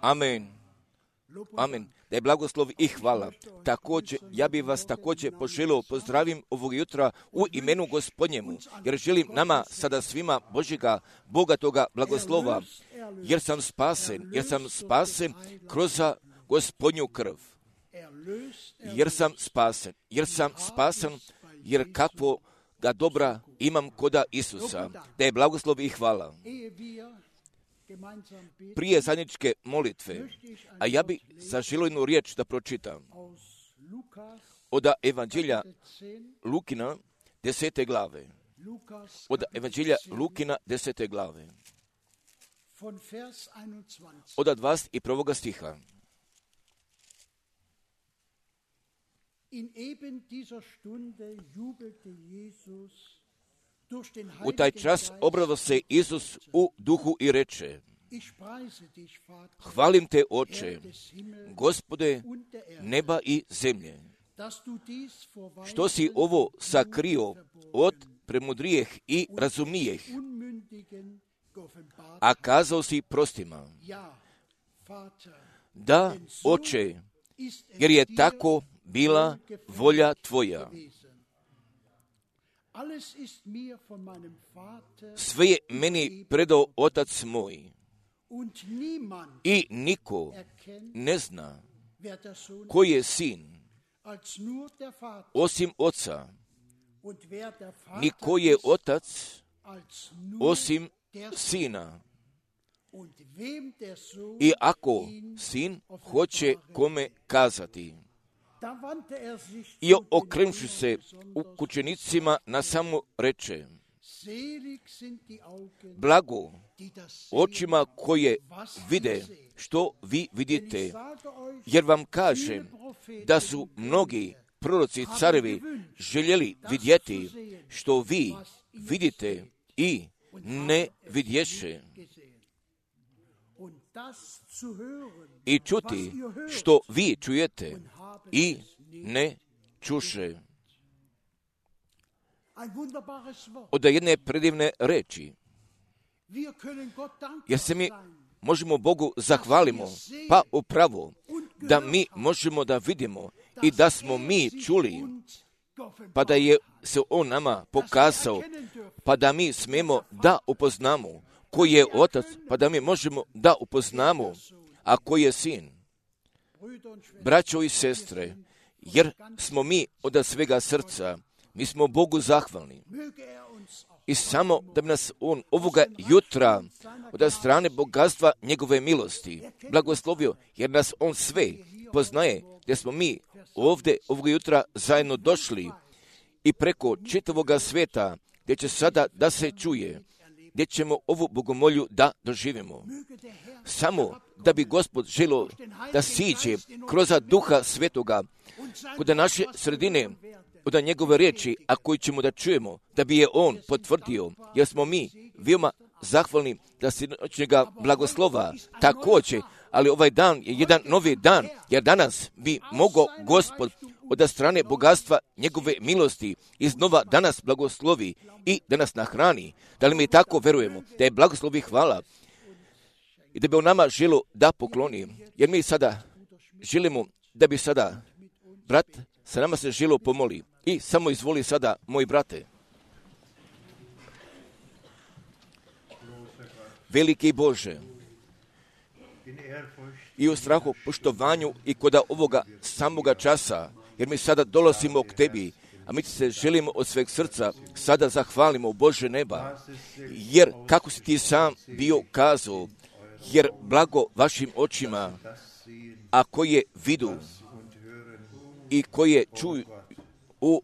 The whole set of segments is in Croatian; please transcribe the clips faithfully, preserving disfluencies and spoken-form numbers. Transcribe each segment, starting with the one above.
Amen. Amen. Da je blagoslov i hvala. Također, ja bih vas također poželio pozdravim ovog jutra u imenu Gospodnjemu, jer želim nama sada svima Božjega, bogatoga blagoslova, jer sam spasen, jer sam spasen kroz Gospodnju krv. Jer sam spasen, jer sam spasen, jer kakvo ga dobra imam koda Isusa. Da je blagoslov i hvala. Prije zajedničke molitve, a ja bi zaželio jednu riječ da pročitam od Evanđelja Lukina desete glave. Od Evanđelja Lukina desete glave. Od dvadeset prvog stiha. U taj čas obrado se Isus u duhu i reče: Hvalim te, Oče, Gospode neba i zemlje, što si ovo sakrio od premudrijeh i razumnijeh, a kazao si prostima. Da, Oče, jer je tako bila volja tvoja. Sve je meni predao Otac moj i niko ne zna koji je sin osim Oca, ni koji je Otac osim Sina. I ako Sin hoće kome kazati. I okrenuvši se u učenicima na samo reče: Blago očima koje vide što vi vidite, jer vam kažem da su mnogi proroci carevi željeli vidjeti što vi vidite i ne vidješe, i čuti što vi čujete i ne čuše. Od jedne predivne reči, jer se mi možemo Bogu zahvalimo, pa upravo da mi možemo da vidimo i da smo mi čuli, pa da je se On nama pokazao, pa da mi smemo da upoznamo koji je Otac, pa da mi možemo da upoznamo, a koji je Sin. Braćo i sestre, jer smo mi od svega srca, mi smo Bogu zahvalni. I samo da bi nas On ovoga jutra od strane bogatstva njegove milosti blagoslovio, jer nas On sve poznaje, gdje smo mi ovdje ovoga jutra zajedno došli i preko čitavoga sveta, gdje će sada da se čuje, gdje ćemo ovu bogomolju da doživimo. Samo da bi Gospod želio da siđe kroz Duha Svetoga kod naše sredine, od njegove riječi, a koji ćemo da čujemo, da bi je On potvrdio, jer smo mi veoma zahvalni da se noćnjega blagoslova također, ali ovaj dan je jedan novi dan, jer danas bi mogao Gospod od strane bogatstva njegove milosti iznova danas blagoslovi i da nas nahrani. Da li mi tako verujemo da je blagoslovi hvala i da bi On nama želio da pokloni, jer mi sada želimo da bi sada brat sa nama se želio pomoli. I samo izvoli sada, moji brate. Veliki Bože, i u strahu, poštovanju i kod ovoga samoga časa, jer mi sada dolazimo k Tebi, a mi se želimo od sveg srca sada zahvalimo Bože neba, jer kako si Ti sam bio kazao, jer blago vašim očima, a koje vidu i koje čuju u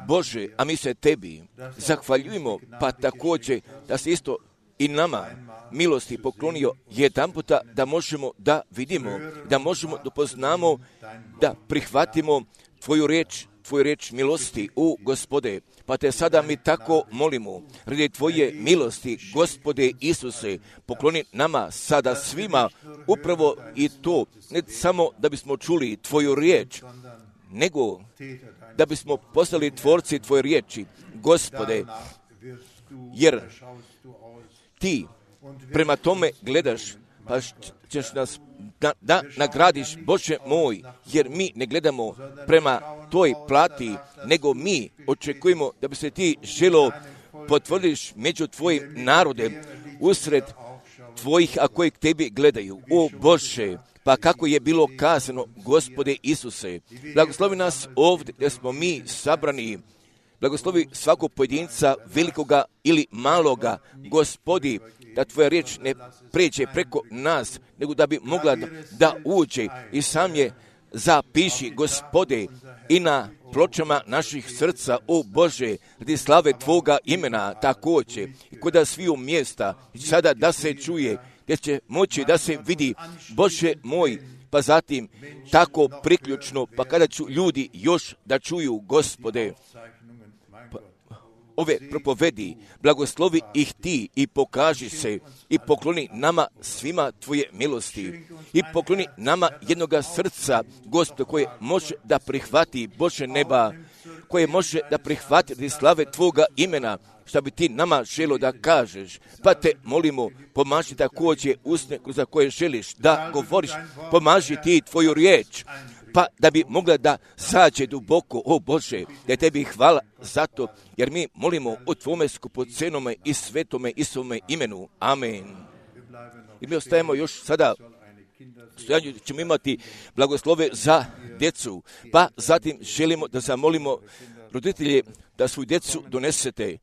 Bože, a mi se Tebi zahvaljujemo, pa također da se isto i nama milosti poklonio jedan puta da možemo da vidimo, da možemo da poznamo, da prihvatimo Tvoju riječ, Tvoju riječ milosti u Gospode. Pa te sada mi tako molimo, radi Tvoje milosti, Gospode Isuse, pokloni nama sada svima upravo i to, ne samo da bismo čuli Tvoju riječ, nego da bismo postali tvorci Tvoje riječi, Gospode, jer Ti prema tome gledaš pa ćeš nas da, da nagradiš, Bože moj, jer mi ne gledamo prema toj plati, nego mi očekujemo da bi se ti želo potvrdiš među tvojim narodem, usred tvojih, a koji k tebi gledaju. O Bože, pa kako je bilo kazano, Gospode Isuse, blagoslovi nas ovdje gdje smo mi sabrani, blagoslovi svakog pojedinca, velikoga ili maloga, Gospodi, da tvoja riječ ne pređe preko nas, nego da bi mogla da, da uđe i sam je zapiši, Gospode, i na pločama naših srca, o Bože, radi slave Tvoga imena također, i kod sviju mjesta, i sada da se čuje, gdje će moći da se vidi, Bože moj, pa zatim tako priključno, pa kada ću ljudi još da čuju, Gospode, pa, ove propovedi, blagoslovi ih ti i pokaži se i pokloni nama svima tvoje milosti i pokloni nama jednoga srca, Gospode, koje može da prihvati, Bože neba, koje može da prihvati radi slave Tvoga imena, šta bi ti nama želo da kažeš, pa te molimo, pomaži također usne za koje želiš da govoriš, pomaži ti tvoju riječ, pa da bi mogla da sađe duboko, o Bože, da tebi hvala za to, jer mi molimo o Tvome skupocenome i svetome i svome imenu. Amen. I mi ostajemo još sada, stojanju ćemo imati blagoslove za djecu, pa zatim želimo da zamolimo roditelje da svoju djecu donesete,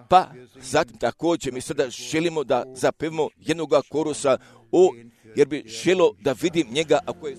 pa zatim također mi sada želimo da zapevimo jednoga korusa, o, jer bi želo da vidim njega, ako je...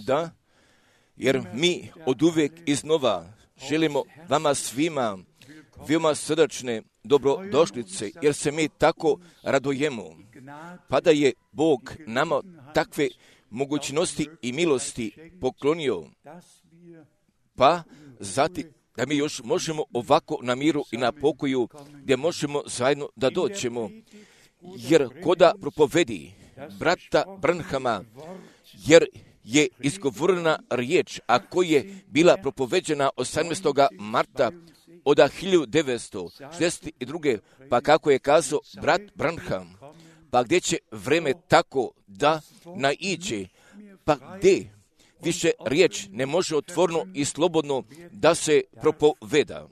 Da, jer mi od uvijek iznova želimo vama svima veoma srdačne dobrodošlice, jer se mi tako radujemo, pa da je Bog nama takve mogućnosti i milosti poklonio, pa zatim da mi još možemo ovako na miru i na pokoju, gdje možemo zajedno da doćemo, jer koda propovedi brata Branhama, jer je izgovorena riječ, a koja je bila propoveđena osamnaestog marta od hiljadu devetsto šezdeset druge. Pa kako je kazao brat Branham, pa gdje će vreme tako da naiđe, pa gdje više riječ ne može otvorno i slobodno da se propoveda.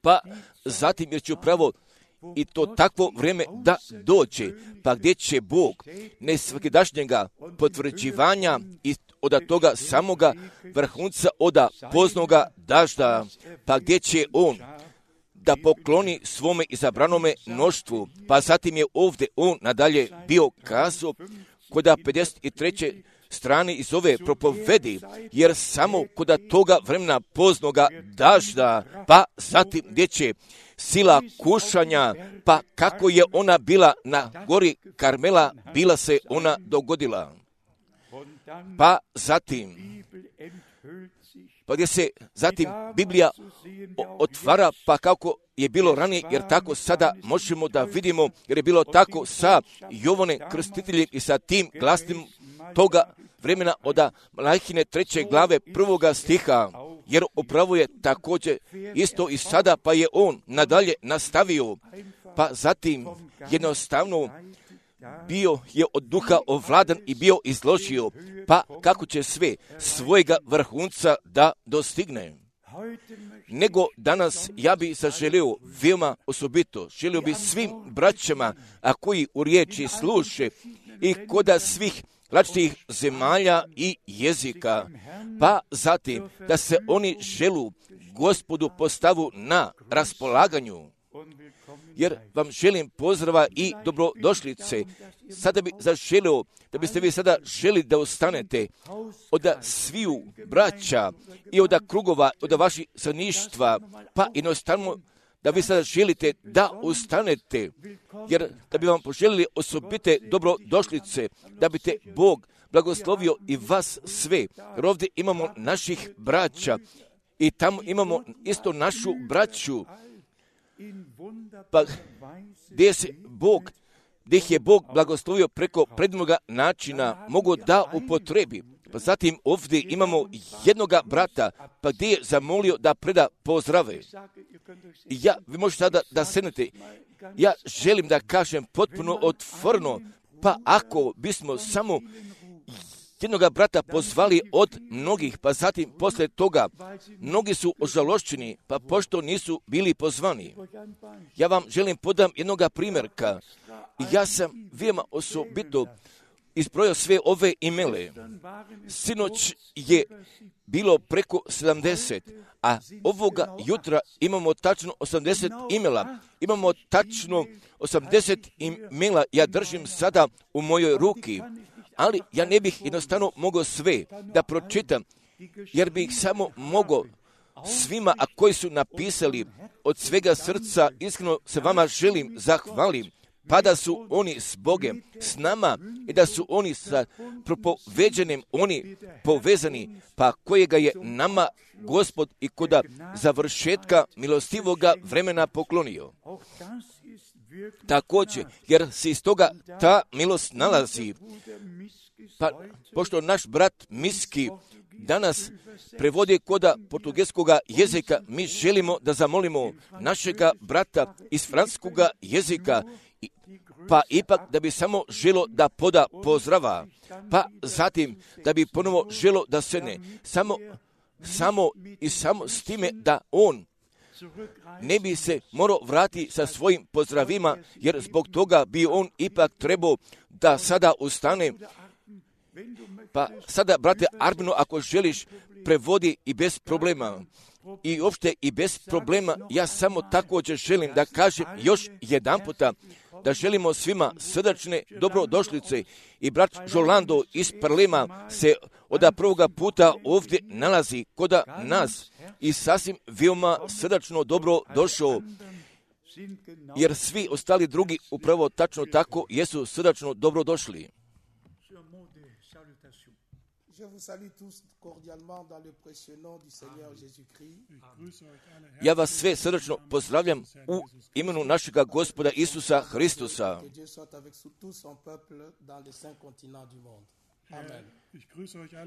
Pa zatim jer će upravo i to takvo vrijeme da dođe, pa gdje će Bog ne svakidašnjega potvrđivanja i od toga samoga vrhunca od poznoga dažda, pa gdje će On da pokloni svome izabranome mnoštvu, pa zatim je ovdje On nadalje bio kazao kod pedeset treće strane iz ove propovedi, jer samo kod toga vremena poznoga dažda, pa zatim gdje će sila kušanja, pa kako je ona bila na gori Karmela, bila se ona dogodila. Pa zatim, pa gdje se zatim Biblija otvara, pa kako je bilo ranije, jer tako sada možemo da vidimo, jer je bilo tako sa Jovane Krstiteljem i sa tim glasnim toga vremena od Malahine treće glave prvoga stiha, jer upravo je također isto i sada, pa je on nadalje nastavio, pa zatim jednostavno bio je od duha ovladan i bio izložio, pa kako će sve svojega vrhunca da dostigne. Nego danas ja bi zaželio veoma osobito, želio bi svim braćama, a koji u riječi sluše i koda svih različitih zemalja i jezika, pa zatim da se oni želu Gospodu postavu na raspolaganju. jer vam želim pozdrava i dobrodošlice. Sada bi zaželio, da biste vi sada želi da ostanete od sviju braća i od krugova, od vaših stanovništva, pa jednostavno da vi sada želite da ostanete, jer da bi vam poželili osobite dobrodošlice, da bi te Bog blagoslovio i vas sve. Jer ovdje imamo naših braća i tamo imamo isto našu braću, pa gdje se Bog, gdje ih je Bog blagoslovio preko prednoga načina, mogu da upotrebi. Pa zatim ovdje imamo jednoga brata, pa gdje je zamolio da preda pozdrave. I ja, vi možete sada da sednete, ja želim da kažem potpuno otvoreno, pa ako bismo samo jednoga brata pozvali od mnogih, pa zatim posle toga mnogi su ožalošćeni, pa pošto nisu bili pozvani. Ja vam želim podam jednoga primjerka. Ja sam veoma osobito izbrojao sve ove imele. Sinoć je bilo preko sedamdeset, a ovoga jutra imamo tačno osamdeset imela. Imamo tačno osamdeset imela, ja držim sada u mojoj ruki, ali ja ne bih jednostavno mogao sve da pročitam, jer bih samo mogao svima, a koji su napisali od svega srca, iskreno se vama želim zahvalim, pa da su oni s Bogem, s nama, i da su oni sa propoveđenim, oni povezani, pa kojega je nama Gospod i koda završetka milostivoga vremena poklonio. Također, jer se iz toga ta milost nalazi, pa pošto naš brat Miski danas prevodi koda portugelskoga jezika, mi želimo da zamolimo našega brata iz francuskoga jezika, pa ipak da bi samo želo da poda pozdrava, pa zatim da bi ponovo želo da sedne, samo, samo i samo s time da on ne bi se morao vratiti sa svojim pozdravima, jer zbog toga bi on ipak trebao da sada ustane. Pa sada, brate Arbino, ako želiš, prevodi i bez problema. I uopšte i bez problema, ja samo također želim da kažem još jedan puta, da želimo svima srdačne dobrodošlice. I brat Žolando iz Parlema se od prvoga puta ovdje nalazi koda nas i sasvim veoma srdačno dobro došao, jer svi ostali drugi upravo tačno tako jesu srdačno dobro došli. Ja vas sve srdačno pozdravljam u imenu našega Gospoda Isusa Hristusa.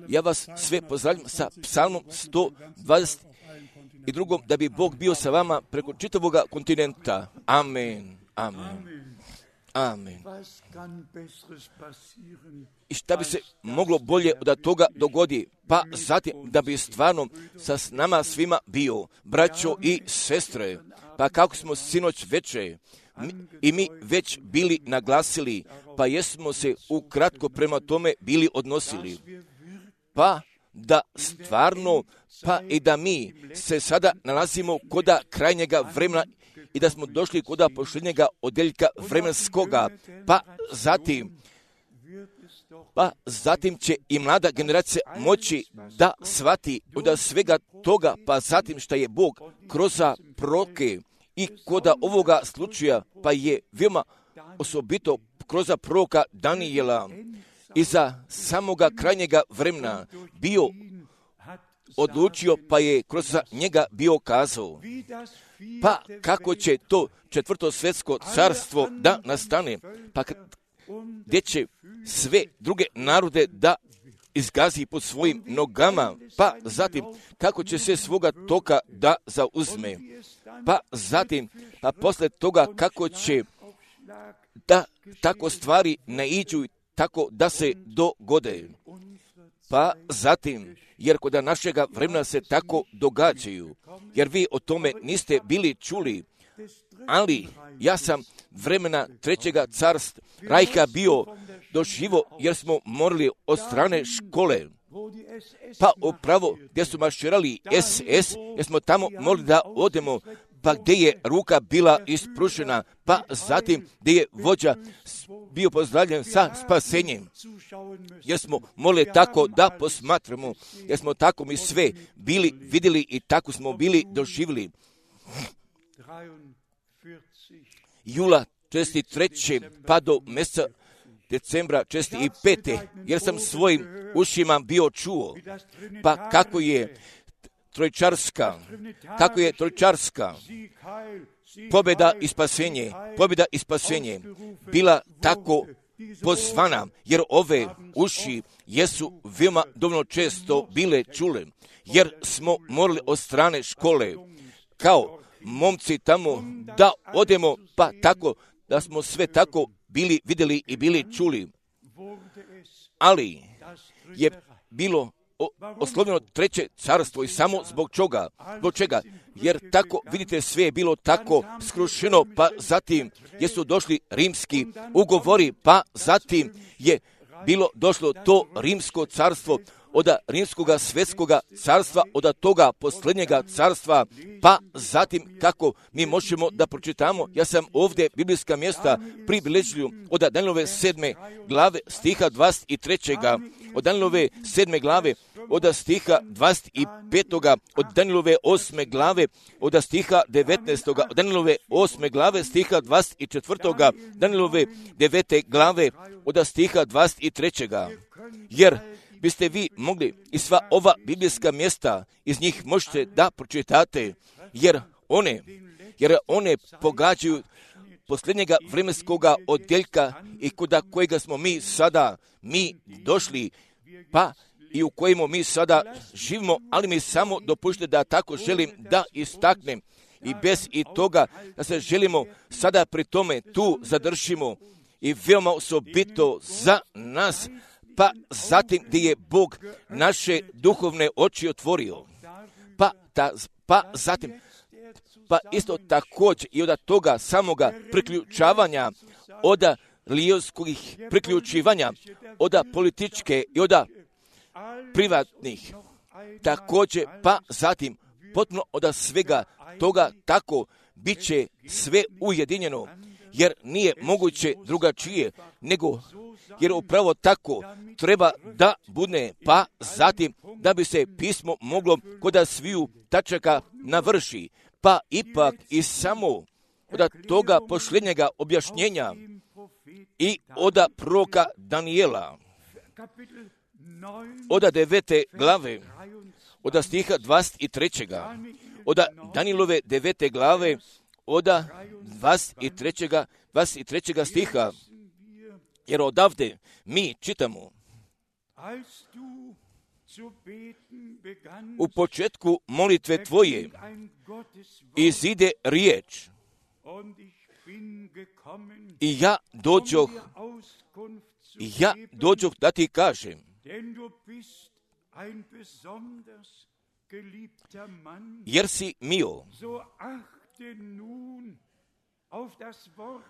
Ja vas sve pozdravljam sa psalmom sto dvadeset dva, da bi Bog bio sa vama preko čitavog kontinenta. Amen. Amen. Amen. I šta bi se moglo bolje od toga dogodi? Pa zatim da bi stvarno sa nama svima bio, braćo i sestre, pa kako smo sinoć veče i mi već bili naglasili, pa jesmo se ukratko prema tome bili odnosili, pa da stvarno, pa i da mi se sada nalazimo koda krajnjega vremena i da smo došli koda posljednjega odeljka vremenskoga, pa zatim, pa zatim će i mlada generacija moći da shvati od svega toga, pa zatim šta je Bog kroz proroke i koda ovoga slučaja, pa je veoma osobito kroz proroka Danijela iza samoga krajnjega vremena bio odlučio, pa je kroz njega bio kazao, pa kako će to četvrto svjetsko carstvo da nastane, pa gdje će sve druge narode da izgazi pod svojim nogama, pa zatim kako će se svoga toka da zauzme, pa zatim, pa posle toga kako će da tako stvari naiđu tako da se dogode, pa zatim, jer kod našega vremena se tako događaju, jer vi o tome niste bili čuli, ali ja sam vremena trećega carstva Rajka bio doživo, jer smo morali od strane škole, pa upravo gdje su marširali es es, jer smo tamo morali da odemo, pa gdje je ruka bila ispružena, pa zatim gdje je vođa bio pozdravljen sa spasenjem. Jer smo morali tako da posmatramo, jer smo tako mi sve bili vidjeli i tako smo bili doživjeli. Jula česti treće pa do mjeseca decembra česti i pete, jer sam svojim ušima bio čuo, pa kako je trojčarska, kako je trojčarska pobjeda i spasenje, pobjeda i spasenje bila tako pozvana, jer ove uši jesu veoma dovoljno često bile čule, jer smo morali od strane škole, kao momci tamo, da odemo, pa tako, da smo sve tako bili vidjeli i bili čuli. Ali je bilo oslovljeno treće carstvo i samo zbog čega? Zbog čega? Jer tako, vidite, sve je bilo tako skrušeno, pa zatim jesu došli rimski ugovori, pa zatim je bilo došlo to rimsko carstvo, od rimskoga svjetskoga carstva, od toga posljednjega carstva, pa zatim kako mi možemo da pročitamo, ja sam ovdje biblijska mjesta pribilježio od Danijelove sedme glave stiha dvadeset tri. Od Danijelove sedme glave od stiha dvadeset pet. Od Danijelove osme glave od stiha devetnaest. Od Danijelove osme glave stiha dvadeset četiri. Danijelove devete glave od stiha dvadeset tri. Jer biste vi mogli i sva ova biblijska mjesta iz njih možete da pročitate, jer one, jer one pogađaju posljednjega vremenskoga odjeljka i kuda kojega smo mi sada mi došli, pa i u kojemu mi sada živimo, ali mi samo dopušte da tako želim da istaknem i bez i toga da se želimo sada pri tome tu zadržimo i veoma osobito za nas, pa zatim gdje je Bog naše duhovne oči otvorio, pa, ta, pa zatim, pa isto također i od toga samoga priključavanja, od lijevskih priključivanja, od političke i od privatnih, također, pa zatim potpuno od svega toga tako bit će sve ujedinjeno, jer nije moguće drugačije, nego jer upravo tako treba da bude, pa zatim da bi se pismo moglo kod sviju tačaka navrši, pa ipak i samo od toga posljednjega objašnjenja i od proroka Danijela, od devete glave, od stiha dvadeset tri. Od Danijelove devete glave, od dvadeset tri. dvadeset tri. stiha, jer odavde mi čitamo: u početku molitve tvoje izide riječ i ja dođoh, i ja dođoh da ti kažem, jer si mio.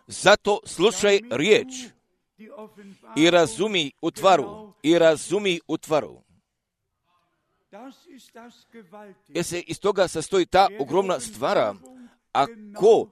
Zato slušaj riječ i razumi utvaru, i razumi utvaru. Jer se iz toga sastoji ta ogromna stvara, a ko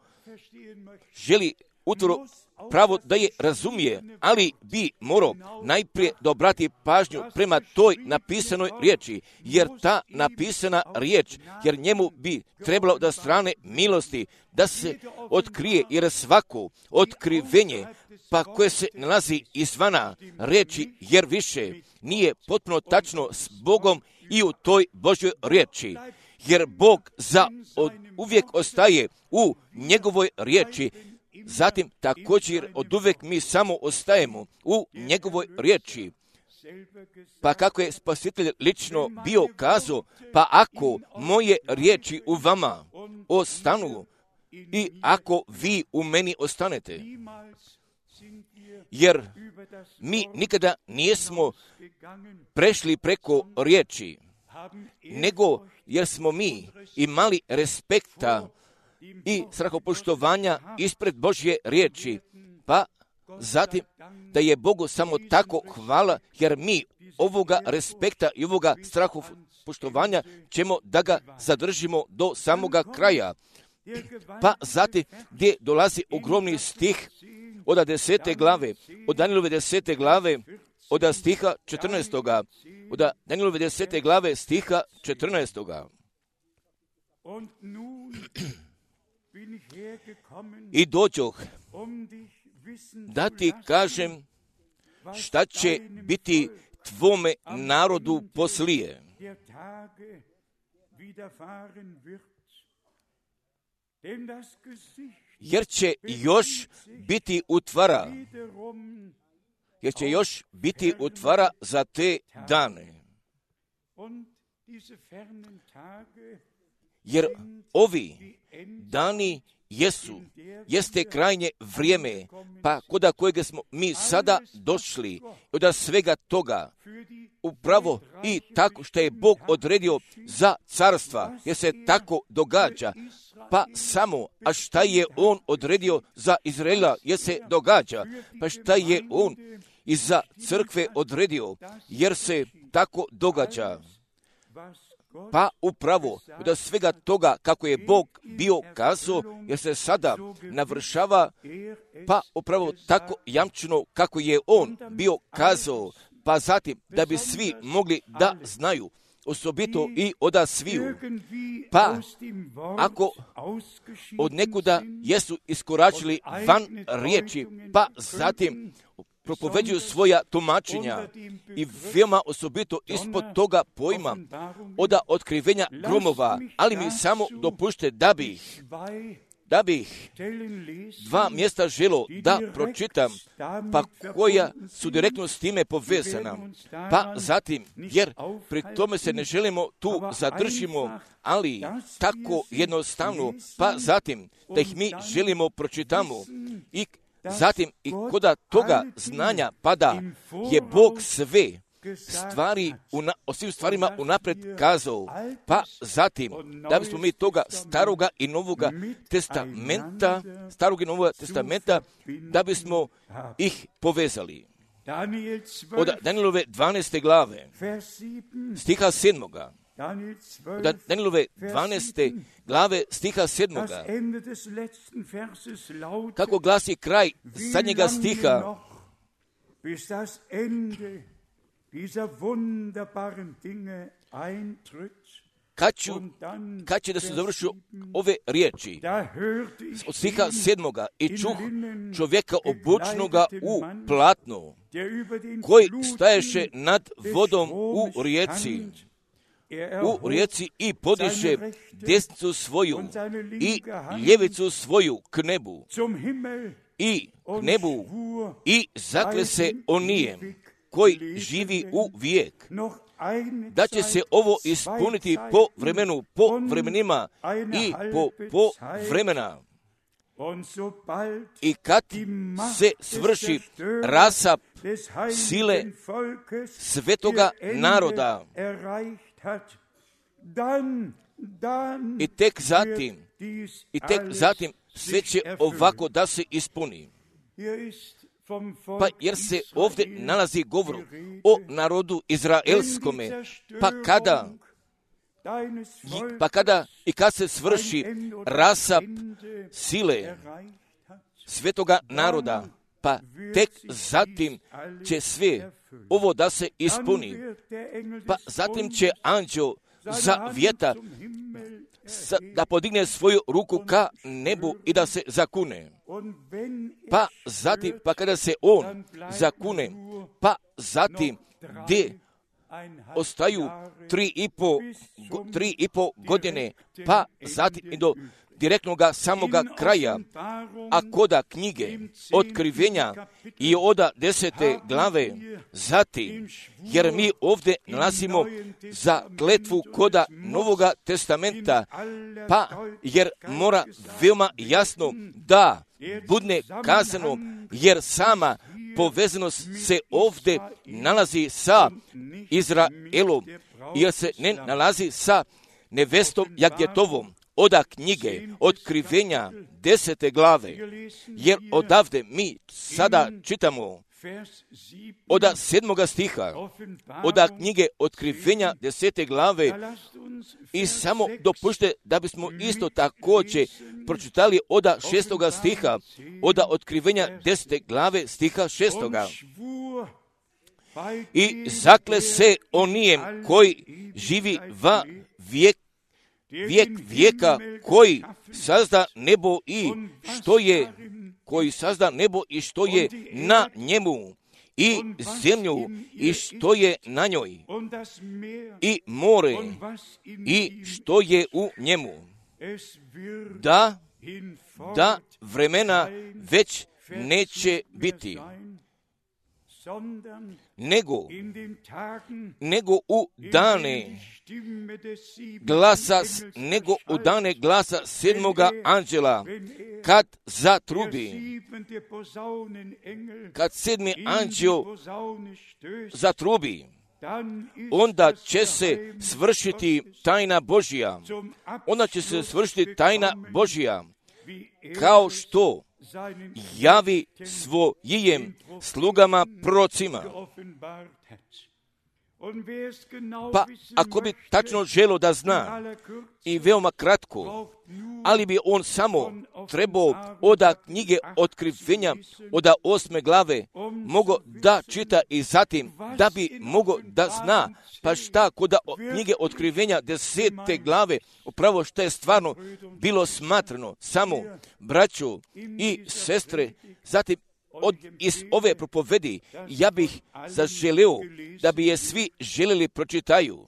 želi utvaru pravo da je razumije, ali bi morao najprije da obrati pažnju prema toj napisanoj riječi, jer ta napisana riječ, jer njemu bi trebalo da strane milosti, da se otkrije, jer svako otkrivenje, pa koje se nalazi izvana riječi, jer više nije potpuno tačno s Bogom i u toj Božjoj riječi, jer Bog za od, uvijek ostaje u njegovoj riječi. Zatim također od uvijek mi samo ostajemo u njegovoj riječi. Pa kako je Spasitelj lično bio kazao, pa ako moje riječi u vama ostanu i ako vi u meni ostanete, jer mi nikada nismo prešli preko riječi, nego jer smo mi imali respekta i strahopoštovanja ispred Božje riječi, pa zatim da je Bogu samo tako hvala, jer mi ovoga respekta i ovoga strahopoštovanja ćemo da ga zadržimo do samoga kraja, Pa zatim gdje dolazi ogromni stih od desete glave, od Danijelove desete glave, od stiha četrnaestoga, od Danijelove desete glave stiha četrnaestoga. I dođoh da ti kažem šta će biti tvome narodu poslije. Jer će još biti utvara, jer će još biti utvara za te dane. Jer ovi dani jesu, jeste krajnje vrijeme, pa koda kojega smo mi sada došli, od svega toga, upravo i tako što je Bog odredio za carstva, jer se tako događa, pa samo, a šta je On odredio za Izraela, jer se događa, pa šta je On i za crkve odredio, jer se tako događa. Pa upravo od svega toga kako je Bog bio kazao, jer se sada navršava, pa upravo tako jamčeno kako je On bio kazao, pa zatim da bi svi mogli da znaju, osobito i oda sviju. Pa ako od nekuda jesu iskoračili van riječi, pa zatim propoveđuju svoja tumačenja i veoma osobito ispod toga pojma oda otkrivenja gromova, ali mi samo dopušte da bih da bih dva mjesta želo da pročitam, pa koja su direktno s time povezana. Pa zatim, jer pri tome se ne želimo tu zadržimo, ali tako jednostavno, pa zatim da ih mi želimo pročitamo i zatim i koda toga znanja pada je Bog sve stvari, una, o svim stvarima unapred kazao, pa zatim da bismo mi toga staroga i novoga testamenta, starog i novoga testamenta, da bismo ih povezali. Od Danijelove dvanaeste glave, stiha sedmoga, od Danijelove dvanaeste glave stiha sedmoga, kako glasi kraj zadnjega stiha, kad, ću, kad će da se završu ove riječi od stiha sedmoga, i čuh čovjeka obučnoga u platno, koji staješe nad vodom u rijeci, u rijeci i podiše desnicu svoju i ljevicu svoju k nebu i k nebu i zakle se onijem koji živi u vijek, da će se ovo ispuniti po vremenu, po vremenima i po, po vremena. I kad se svrši rasap sile svetoga naroda, i tek zatim, i tek zatim sve će ovako da se ispuni. Pa jer se ovdje nalazi govor o narodu izraelskome, pa kada, pa kada i kad se svrši rasap sile svetoga naroda, pa tek zatim će sve ovo da se ispuni. Pa zatim će anđeo zavjeta da podigne svoju ruku ka nebu i da se zakune. Pa zatim, pa kada se on zakune, pa zatim gdje ostaju tri i po, tri i po godine, pa zatim i do direktnoga samoga kraja, a koda knjige otkrivenja i oda desete glave, zatim, jer mi ovdje nalazimo za kletvu koda Novoga testamenta, pa jer mora veoma jasno da budne kazano, jer sama povezanost se ovdje nalazi sa Izraelom, jer se ne nalazi sa nevestom Jagdjetovom. Oda knjige otkrivenja desete glave, jer odavde mi sada čitamo od sedmoga stiha, od knjige Otkrivenja desete glave, i samo dopušte da bismo isto također pročitali od šestoga stiha, od Otkrivenja desete glave stiha šestoga. I zakle se onijem koji živi va vijek, vijek vijeka, koji sazda nebo i što je, koji sazda nebo i što je na njemu, i zemlju i što je na njoj, i more i što je u njemu, da, da vremena već neće biti, nego, nego u dane glasa, nego u dane glasa sedmoga anđela, kad zatrubi, kad sedmi anđel zatrubi, onda će se svršiti tajna Božja, onda će se svršiti tajna Božja, kao što javi svojim slugama prorocima. Pa ako bi tačno želio da zna, i veoma kratko, ali bi on samo trebao od knjige Otkrivenja, od osme glave, mogao da čita i zatim da bi mogao da zna, pa šta kod knjige Otkrivenja desete glave, upravo što je stvarno bilo smatrano, samo braću i sestre, zatim od, iz ove propovedi ja bih zaželeo da bi je svi željeli pročitaju,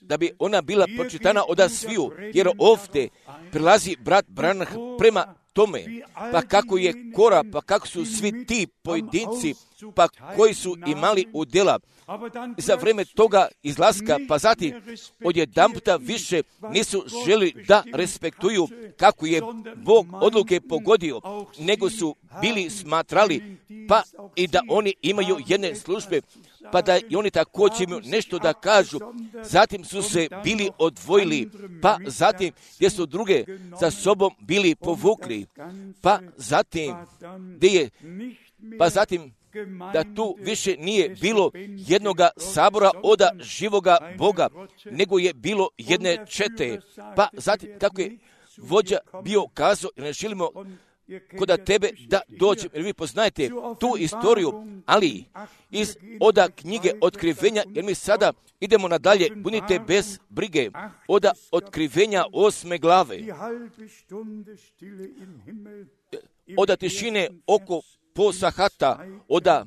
da bi ona bila pročitana od sviju, jer ovdje prilazi brat Branham prema tome, pa kako je Kora, pa kako su svi ti pojedinci, pa koji su imali udjela za vrijeme toga izlaska, pa zatim odjedanputa više nisu želi da respektuju kako je Bog odluke pogodio, nego su bili smatrali, pa i da oni imaju jedne službe, pa da i oni također imaju nešto da kažu. Zatim su se bili odvojili, pa zatim gdje su druge za sobom bili povukli, pa zatim gdje je, pa zatim da tu više nije bilo jednoga sabora od živoga Boga, nego je bilo jedne čete. Pa zatim, kako je vođa bio kazao, ne želimo kod tebe da dođem, jer vi poznajete tu istoriju, ali iz oda knjige Otkrivenja, jer mi sada idemo nadalje, budite bez brige, oda Otkrivenja osme glave, oda tišine oko po sahata, oda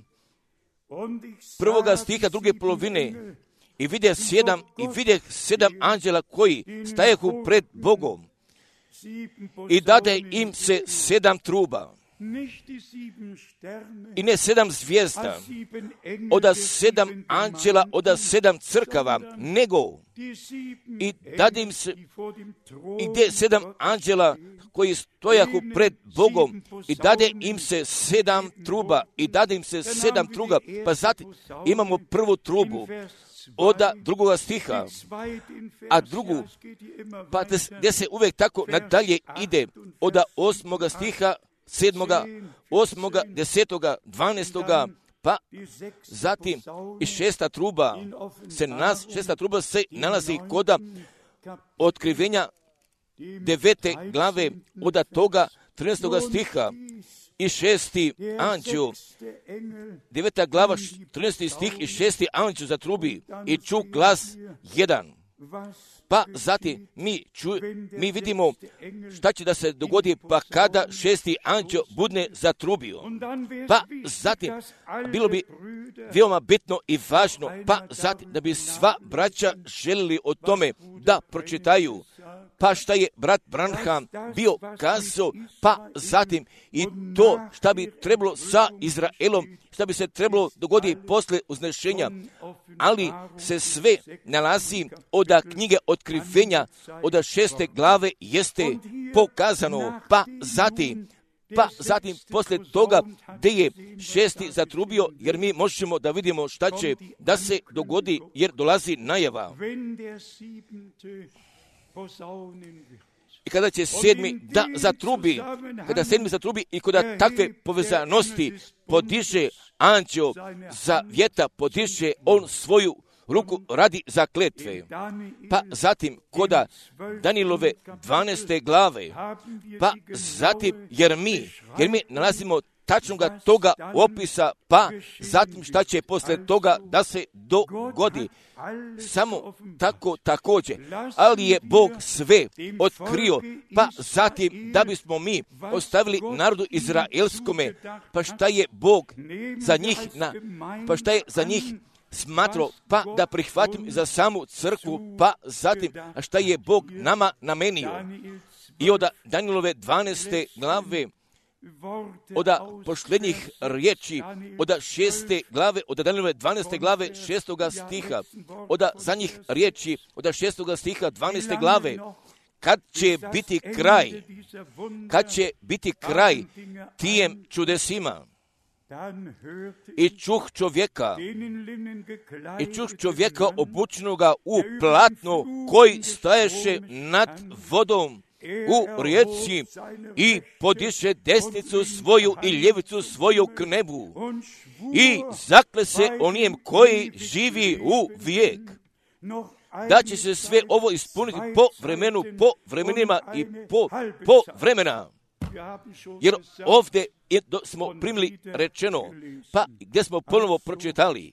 prvoga stiha druge polovine, i vidje sedam, i vidje sedam anđela koji stajehu pred Bogom, i dade im se sedam truba, i ne sedam zvijezda, od sedam anđela, od sedam crkava, nego i dade im se, i gdje sedam anđela koji stojahu pred Bogom, i dade im se sedam truba, i dade im se sedam truba, pa zatim imamo prvu trubu, od drugoga stiha, a drugu, pa gdje se uvijek tako nadalje ide, od osmoga stiha, sedmoga, osmoga, desetoga, dvanaestoga, pa zatim i šesta truba se nas, šesta truba se nalazi kod Otkrivenja devete glave, od toga trinaestoga stiha, i šesti anđel, deveta glava, trinaesti stih, i šesti anđel zatrubi i ču glas jedan. Pa zatim mi, ču, mi vidimo šta će da se dogodi, pa kada šesti anđel budne zatrubio. Pa zatim, bilo bi veoma bitno i važno, pa zatim da bi sva braća željeli o tome da pročitaju, pa šta je brat Branham bio kazao, pa zatim i to šta bi trebalo sa Izraelom, šta bi se trebalo dogoditi posle uznešenja, ali se sve nalazi od knjige Otkrivenja, od šeste glave jeste pokazano, pa zatim, pa zatim posle toga gdje je šesti zatrubio, jer mi možemo da vidimo šta će da se dogodi, jer dolazi najava. i kada će sedmi da zatrubi, kada sedmi zatrubi i kada takve povezanosti podiže anđeo zavjeta, podiže on svoju ruku radi zakletve. Pa zatim koda Danilove dvanaeste glave, pa zatim jer mi, jer mi nalazimo tačnoga toga opisa, pa zatim šta će posle toga da se dogodi. Samo tako također, ali je Bog sve otkrio, pa zatim da bismo mi ostavili narodu izraelskome, pa šta je Bog za njih, na, pa šta je za njih smatrao, pa da prihvatim za samu crkvu, pa zatim a šta je Bog nama namenio. I od Danilove dvanaeste glave, od posljednjih riječi, od šeste glave, od Danilove dvanaeste glave, šestoga stiha, od zadnjih riječi, od šestoga stiha, dvanaeste glave, kad će biti kraj, kad će biti kraj tijem čudesima. I čuh čovjeka, i čuh čovjeka obučenoga u platno, koji staješe nad vodom u rijeci i podiše desnicu svoju i ljevicu svoju k nebu i zakle se onijem koji živi u vijek, da će se sve ovo ispuniti po vremenu, po vremenima i po, po vremena. Jer ovdje smo primili rečeno, pa gdje smo ponovo pročitali,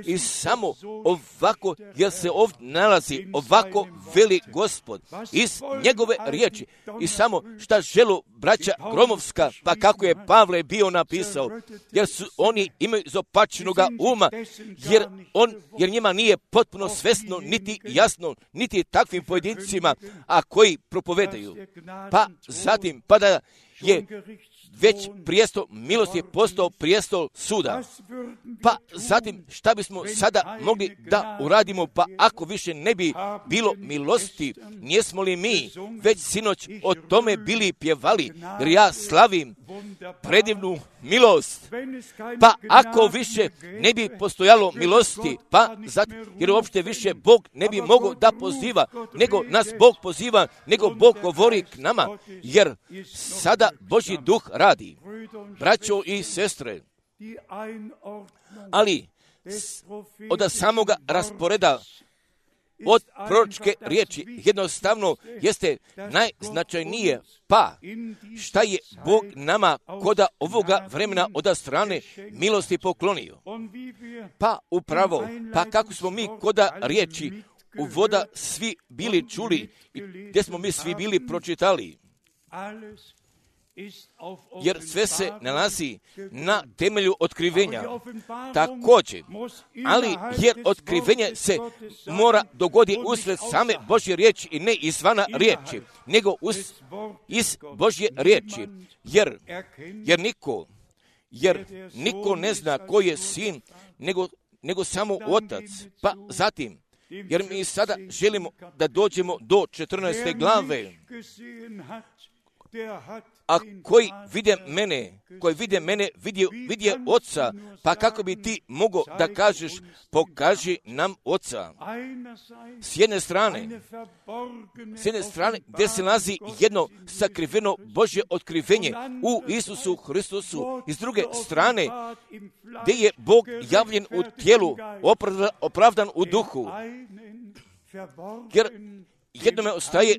i samo ovako, jer se ovdje nalazi ovako veli Gospod iz njegove riječi, i samo šta želu braća Gromovska, pa kako je Pavle bio napisao, jer su oni imaju zopačenoga uma, jer, on, jer njima nije potpuno svesno, niti jasno, niti takvim pojedincima, a koji propovedaju. Pa zatim, pa da je već prijestol milosti je postao prijestol suda. Pa zatim šta bismo sada mogli da uradimo, pa ako više ne bi bilo milosti, nijesmo li mi već sinoć o tome bili pjevali, jer ja slavim predivnu milost. Pa ako više ne bi postojalo milosti, pa zatim, jer uopšte više Bog ne bi mogao da poziva, nego nas Bog poziva, nego Bog govori k nama, jer sada Božji duh radi. Braćo i sestre, ali od samoga rasporeda od proročke riječi jednostavno jeste najznačajnije, pa šta je Bog nama koda ovoga vremena od strane milosti poklonio. Pa upravo, pa kako smo mi koda riječi u voda svi bili čuli, gdje smo mi svi bili pročitali, jer sve se nalazi na temelju otkrivenja. Također, ali jer otkrivenje se mora dogodi usred same Božje riječi i ne izvana riječi, nego uz, iz Božje riječi, jer, jer niko, jer niko ne zna ko je sin, nego, nego samo otac. Pa zatim, jer mi sada želimo da dođemo do četrnaeste glave, a koji vide mene, koji vide mene, vidje, vidje oca, pa kako bi ti mogao da kažeš, pokaži nam oca. S jedne strane, s jedne strane, gdje se nalazi jedno sakriveno Božje otkrivenje u Isusu Hristusu, i s druge strane, gdje je Bog javljen u tijelu, opravdan u duhu. Jer jednome ostaje,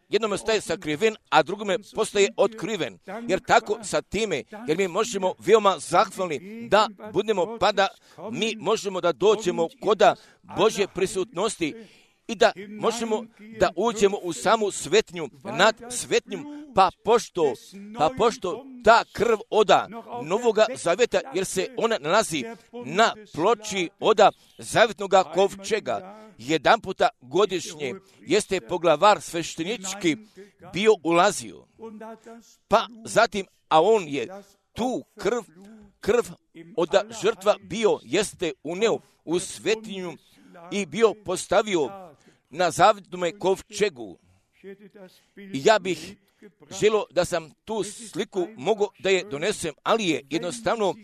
jednome ostaje sakriven, a drugome postaje otkriven. Jer tako sa time, jer mi možemo veoma zahvalni da budemo, pa da mi možemo da dođemo koda Božje prisutnosti i da možemo da uđemo u samu svetnju, nad svetnjom, pa pošto, pa pošto ta krv oda Novoga Zaveta, jer se ona nalazi na ploči oda Zavetnoga kovčega, jedan puta godišnje jeste poglavar sveštenički bio ulazio. Pa zatim, a on je tu krv, krv od žrtva bio, jeste uneo u svetinju i bio postavio na zavetnome kovčegu. I ja bih želio da sam tu sliku mogao da je donesem, ali je jednostavno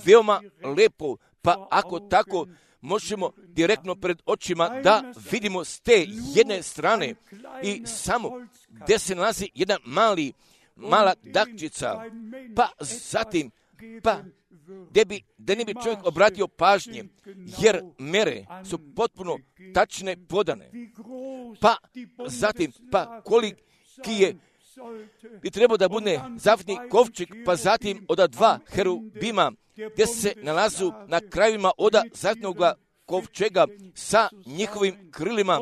veoma lepo, pa ako tako možemo direktno pred očima da vidimo s te jedne strane i samo gdje se nalazi jedan mali, mala dakčica, pa zatim, pa gdje bi, da ne bi čovjek obratio pažnje, jer mere su potpuno tačne podane, pa zatim, pa koliki je bi trebao da bude zaštitni kovčeg, pa zatim od dva herubima gdje se nalazu na krajevima od zaštitnog kovčega sa njihovim krilima,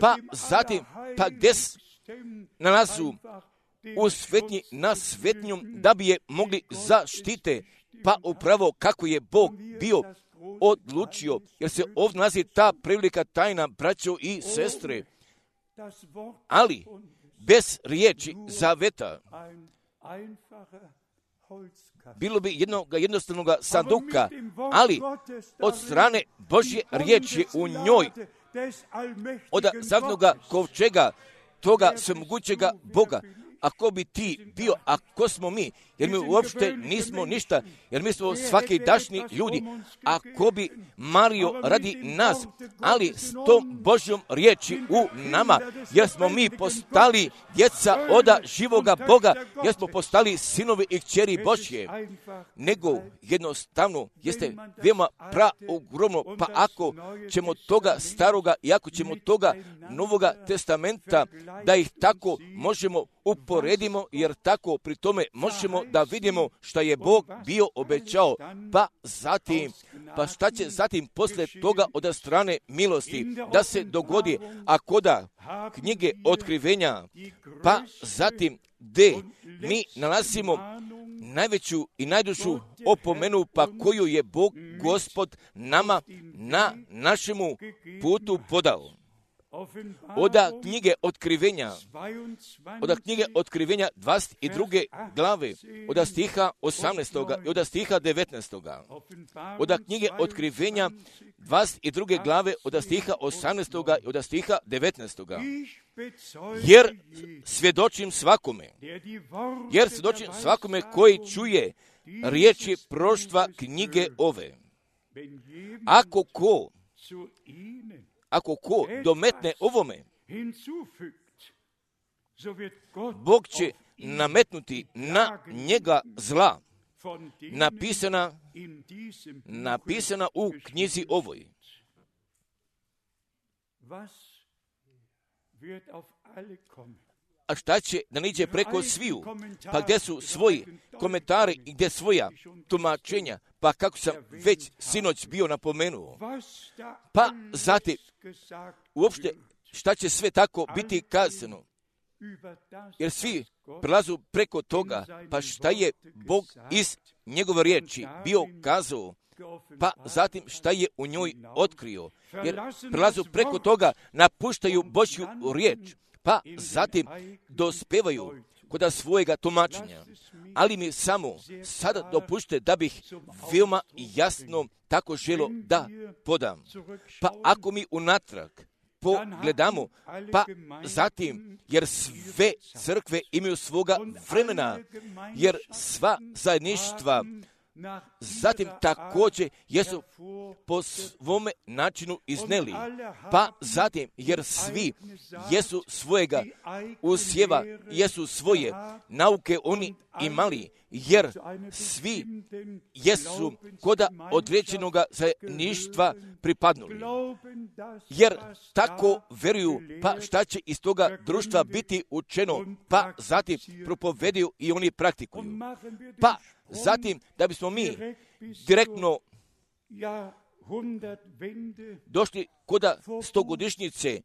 pa zatim, pa gdje se nalazu u svetnji na svetnjom da bi je mogli zaštite, pa upravo kako je Bog bio odlučio, jer se ovdje nalazi ta prevelika tajna, braćo i sestre, ali bez riječi zaveta bilo bi jednog jednostavnog sanduka, ali od strane Božje riječi u njoj, od zaštitnog kovčega, toga svemogućega Boga. Ako bi ti bio, ako smo mi, jer mi uopšte nismo ništa, jer mi smo svaki dašni ljudi, ako bi Mario radi nas, ali s tom Božjom riječi u nama, jer smo mi postali djeca oda živoga Boga, jer smo postali sinovi i kćeri Božje, nego jednostavno jeste veoma praogromno, pa ako ćemo toga staroga i ako ćemo toga Novoga testamenta, da ih tako možemo uporedimo, jer tako pri tome možemo da vidimo šta je Bog bio obećao, pa zatim, pa šta će zatim posle toga od strane milosti da se dogodi, ako da knjige otkrivenja, pa zatim gde mi nalazimo najveću i najdužu opomenu, pa koju je Bog Gospod nama na našemu putu podao. Oda knjige otkrivenja, oda knjige otkrivenja dvadeset druge glave, oda stiha osamnaestog i oda stiha devetnaestog. Oda knjige otkrivenja dvadeset druge glave, oda stiha osamnaestog i oda stiha devetnaestog. Jer svjedočim svakome, jer svjedočim svakome koji čuje riječi proštva knjige ove. Ako ko Ako ko dometne ovome, Bog će nametnuti na njega zla, napisana, napisana u knjizi ovoj. A šta će da niđe preko sviju? Pa gdje su svoji komentari i gdje svoja tumačenja? Pa kako sam već sinoć bio napomenuo. Pa zatim, uopšte šta će sve tako biti kazano? Jer svi prelazu preko toga, pa šta je Bog iz njegove riječi bio kazao, pa zatim šta je u njoj otkrio. Jer prelazu preko toga, napuštaju Božju riječ, pa zatim dospevaju kod svojega tumačenja. Ali mi samo sada dopušte da bih veoma jasno tako želo da podam. Pa ako mi unatrag pogledamo, pa zatim, jer sve crkve imaju svoga vremena, jer sva zajedništva zatim također jesu po svome načinu izneli, pa zatim, jer svi jesu svojega usjeva, jesu svoje nauke oni imali, jer svi jesu koda određenoga zajedništva pripadnuli. Jer tako veruju, pa šta će iz toga društva biti učeno, pa zatim propovedaju i oni praktikuju. Pa zatim, da bismo mi direktno došli koda stogodišnjice,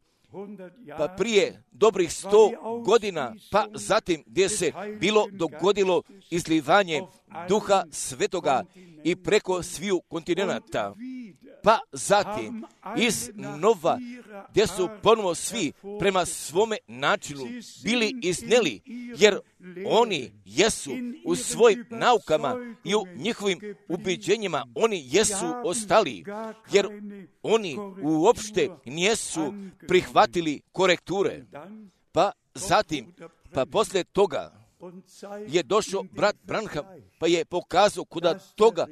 pa prije dobrih sto godina, pa zatim gdje se bilo dogodilo izlivanje Duha Svetoga i preko sviju kontinenata, pa zatim iz nova gdje su ponovo svi prema svome načinu bili izneli, jer oni jesu u svojim naukama i u njihovim ubeđenjima, oni jesu ostali, jer oni uopšte nijesu prihvatili korekture. Pa zatim, pa poslije toga, je došao brat Branham, pa je pokazao kuda toga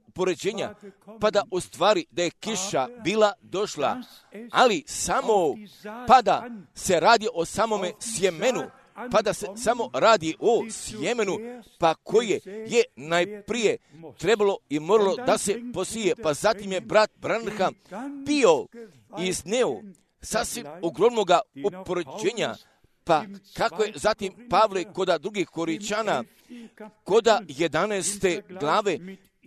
upoređenja, pa da u stvari da je kiša bila došla, ali samo pa da se radi o samome sjemenu, pa da se samo radi o sjemenu, pa koje je najprije trebalo i moralo da se posije, pa zatim je brat Branham bio izneo sasvim ogromnoga upoređenja, pa kako je zatim Pavle koda drugih Koričana, koda jedanaeste glave,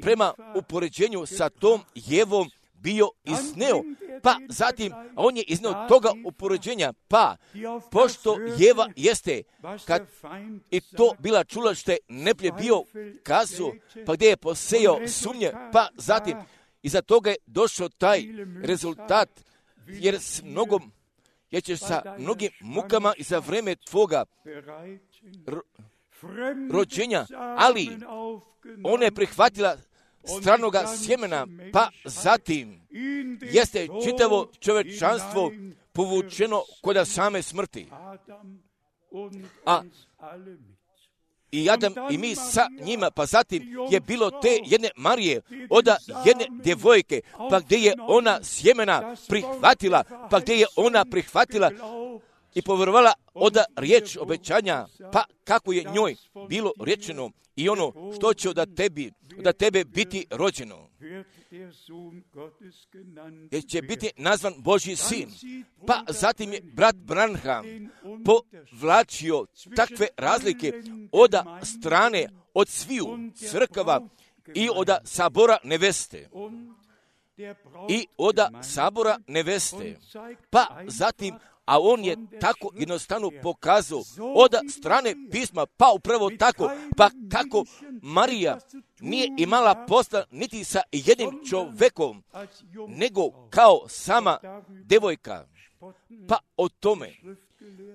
prema upoređenju sa tom Jevom bio izneo, pa zatim on je izneo toga upoređenja, pa pošto Jeva jeste, kad i to bila čula što je neplje bio kazu, pa gdje je posejao sumnje, pa zatim iza toga je došao taj rezultat, jer s mnogom, jer ćeš sa mnogim mukama i za vreme tvoga ro, rođenja, ali ona je prihvatila stranoga sjemena, pa zatim jeste čitavo čovečanstvo povučeno kod same smrti. A i Adam i mi sa njima, pa zatim je bilo te jedne Marije, oda jedne djevojke, pa gdje je ona sjemena prihvatila, pa gdje je ona prihvatila i povjerovala oda riječ obećanja, pa kako je njoj bilo rečeno i ono što će od tebi, od tebe biti rođeno, jer će biti nazvan Božji sin. Pa zatim je brat Branham povlačio takve razlike od strane, od sviju crkava i od sabora neveste. I od sabora neveste. Pa zatim, a on je tako jednostavno pokazao od strane pisma, pa upravo tako, pa kako Marija nije imala posla niti sa jednim čovekom, nego kao sama devojka, pa o tome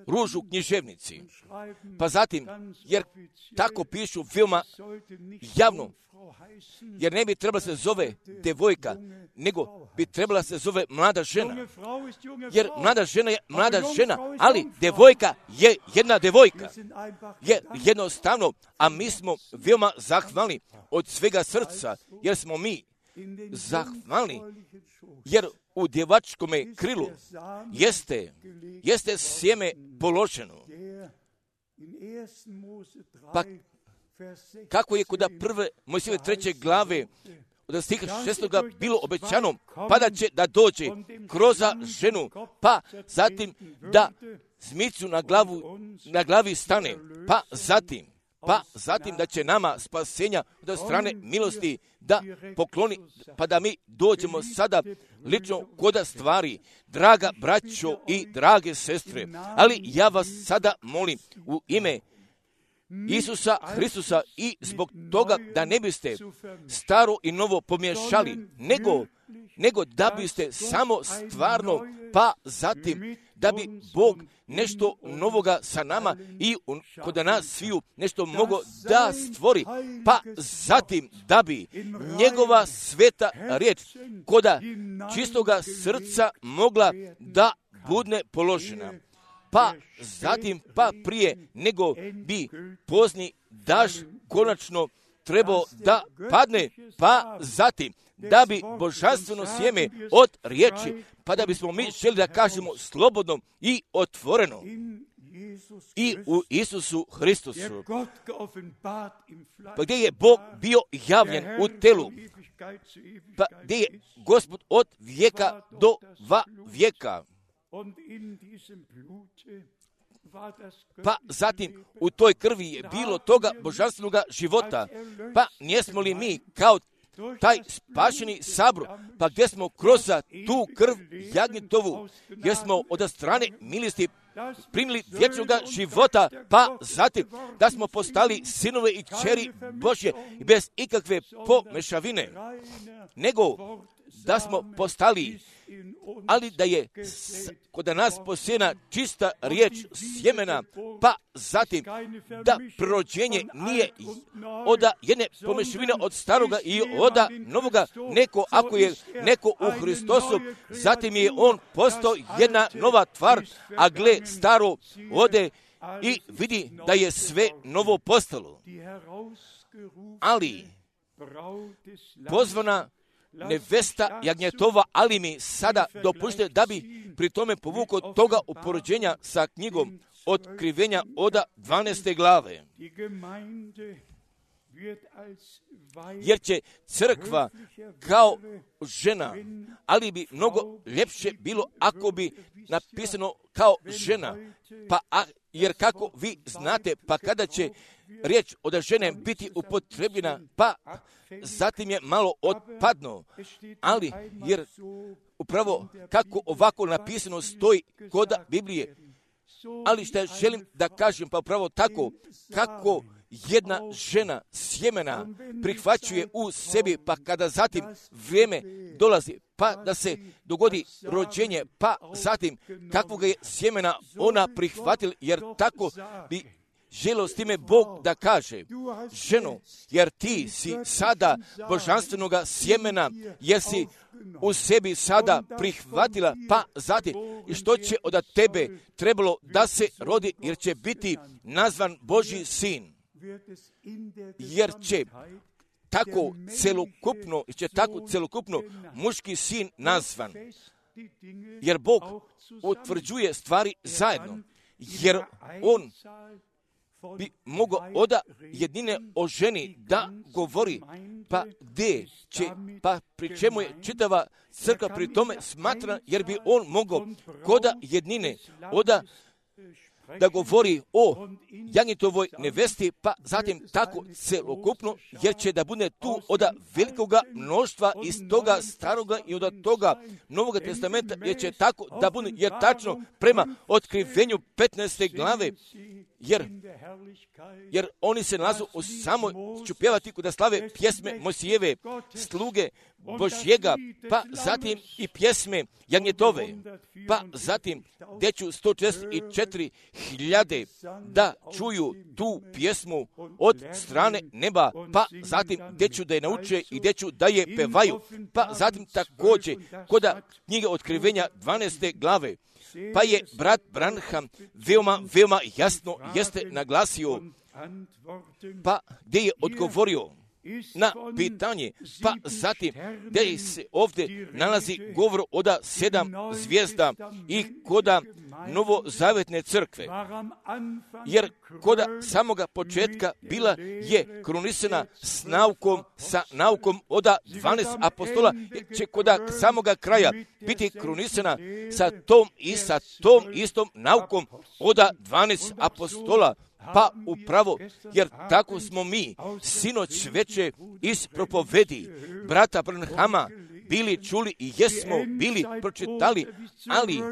ružu književnici. Pa zatim, jer tako pišu filma javno, jer ne bi trebala se zove devojka, nego bi trebala se zove mlada žena. Jer mlada žena je mlada žena, ali devojka je jedna devojka. Je jednostavno, a mi smo veoma zahvalni od svega srca, jer smo mi zahvalni, jer u djevačkome krilu jeste, jeste sjeme položeno. Pa kako je kod prve Mojsijeve treće glave od stiha šestoga bilo obećano, pa da će da dođe kroz ženu, pa zatim da zmicu na glavu, na glavi stane, pa zatim, pa zatim da će nama spasenja od strane milosti da pokloni, pa da mi dođemo sada lično koda stvari, draga braćo i drage sestre, ali ja vas sada molim u ime Isusa Hristusa i zbog toga da ne biste staro i novo pomiješali, nego, nego da biste samo stvarno, pa zatim da bi Bog nešto novoga sa nama i kod nas sviju nešto mogo da stvori, pa zatim da bi njegova sveta riječ koda čistoga srca mogla da budne položena. Pa zatim, pa prije nego bi pozni daž konačno trebao da padne, pa zatim da bi božanstveno sjeme od riječi, pa da bismo mi želi da kažemo slobodno i otvoreno i u Isusu Hristusu, pa gdje je Bog bio javljen u telu, pa gdje je Gospod od vijeka do va vijeka. Pa zatim u toj krvi je bilo toga božanstvenog života, pa nijesmo li mi kao taj spašeni sabor, pa gdje smo kroz tu krv jagnjetovu, gdje smo od strane milosti primili vječnog života, pa zatim da smo postali sinove i kćeri Božje bez ikakve pomešavine, nego da smo postali, ali da je kod nas posijena čista riječ sjemena, pa zatim da prorođenje nije od jedne pomešavine od staroga i od novoga, neko ako je neko u Hristosu, zatim je on postao jedna nova tvar, a gle staro ode i vidi da je sve novo postalo. Ali pozvana nevesta jagnjetova, ali mi sada dopušte da bi pri tome povukao toga upoređenja sa knjigom Otkrivenja Oda dvanaeste glave. Jer će crkva kao žena, ali bi mnogo ljepše bilo ako bi napisano kao žena, pa a, jer kako vi znate, pa kada će riječ od žene biti upotrebljena, pa zatim je malo otpadno, ali jer upravo kako ovako napisano stoji kod Biblije, ali što želim da kažem, pa upravo tako kako jedna žena sjemena prihvaćuje u sebi, pa kada zatim vrijeme dolazi, pa da se dogodi rođenje, pa zatim kakvog je sjemena ona prihvatila, jer tako bi želio s time Bog da kaže, ženo, jer ti si sada božanstvenoga sjemena, jer si u sebi sada prihvatila, pa zatim i što će od tebe trebalo da se rodi, jer će biti nazvan Božji sin. Jer će tako celokupno, će tako celokupno muški sin nazvan. Jer Bog utvrđuje stvari zajedno. Jer on bi mogao oda jedine o ženi da govori, pa gdje će, pa pri čemu je čitava crkva pri tome smatra, jer bi on mogao koda jednine oda da govori o jagnjetovoj nevesti, pa zatim tako celokupno, jer će da bude tu od velikoga mnoštva iz toga staroga i od toga Novoga testamenta, jer će tako da bude, jer tačno prema otkrivenju petnaeste glave, jer, jer oni se nalazu u samoj čupjevati da slave pjesme Mojsijeve, sluge Božjega, pa zatim i pjesme jagnjetove, pa zatim gdje ću sto četrdeset četiri hiljade da čuju tu pjesmu od strane neba, pa zatim gdje ću da je nauče i gdje ću da je pevaju, pa zatim također kod knjige Otkrivenja dvanaeste glave, pa je brat Branham veoma, veoma jasno jeste naglasio, pa gdje je odgovorio na pitanje, pa zatim gdje se ovdje nalazi govor od sedam zvijezda i koda novozavetne crkve. Jer koda samoga početka bila je krunisana s naukom, sa naukom od dvanaest apostola, će koda samoga kraja biti krunisana sa tom i sa tom istom naukom od dvanaest apostola. Pa upravo, jer tako smo mi sinoć veče iz propovedi brata Branhama bili čuli i jesmo bili pročitali, ali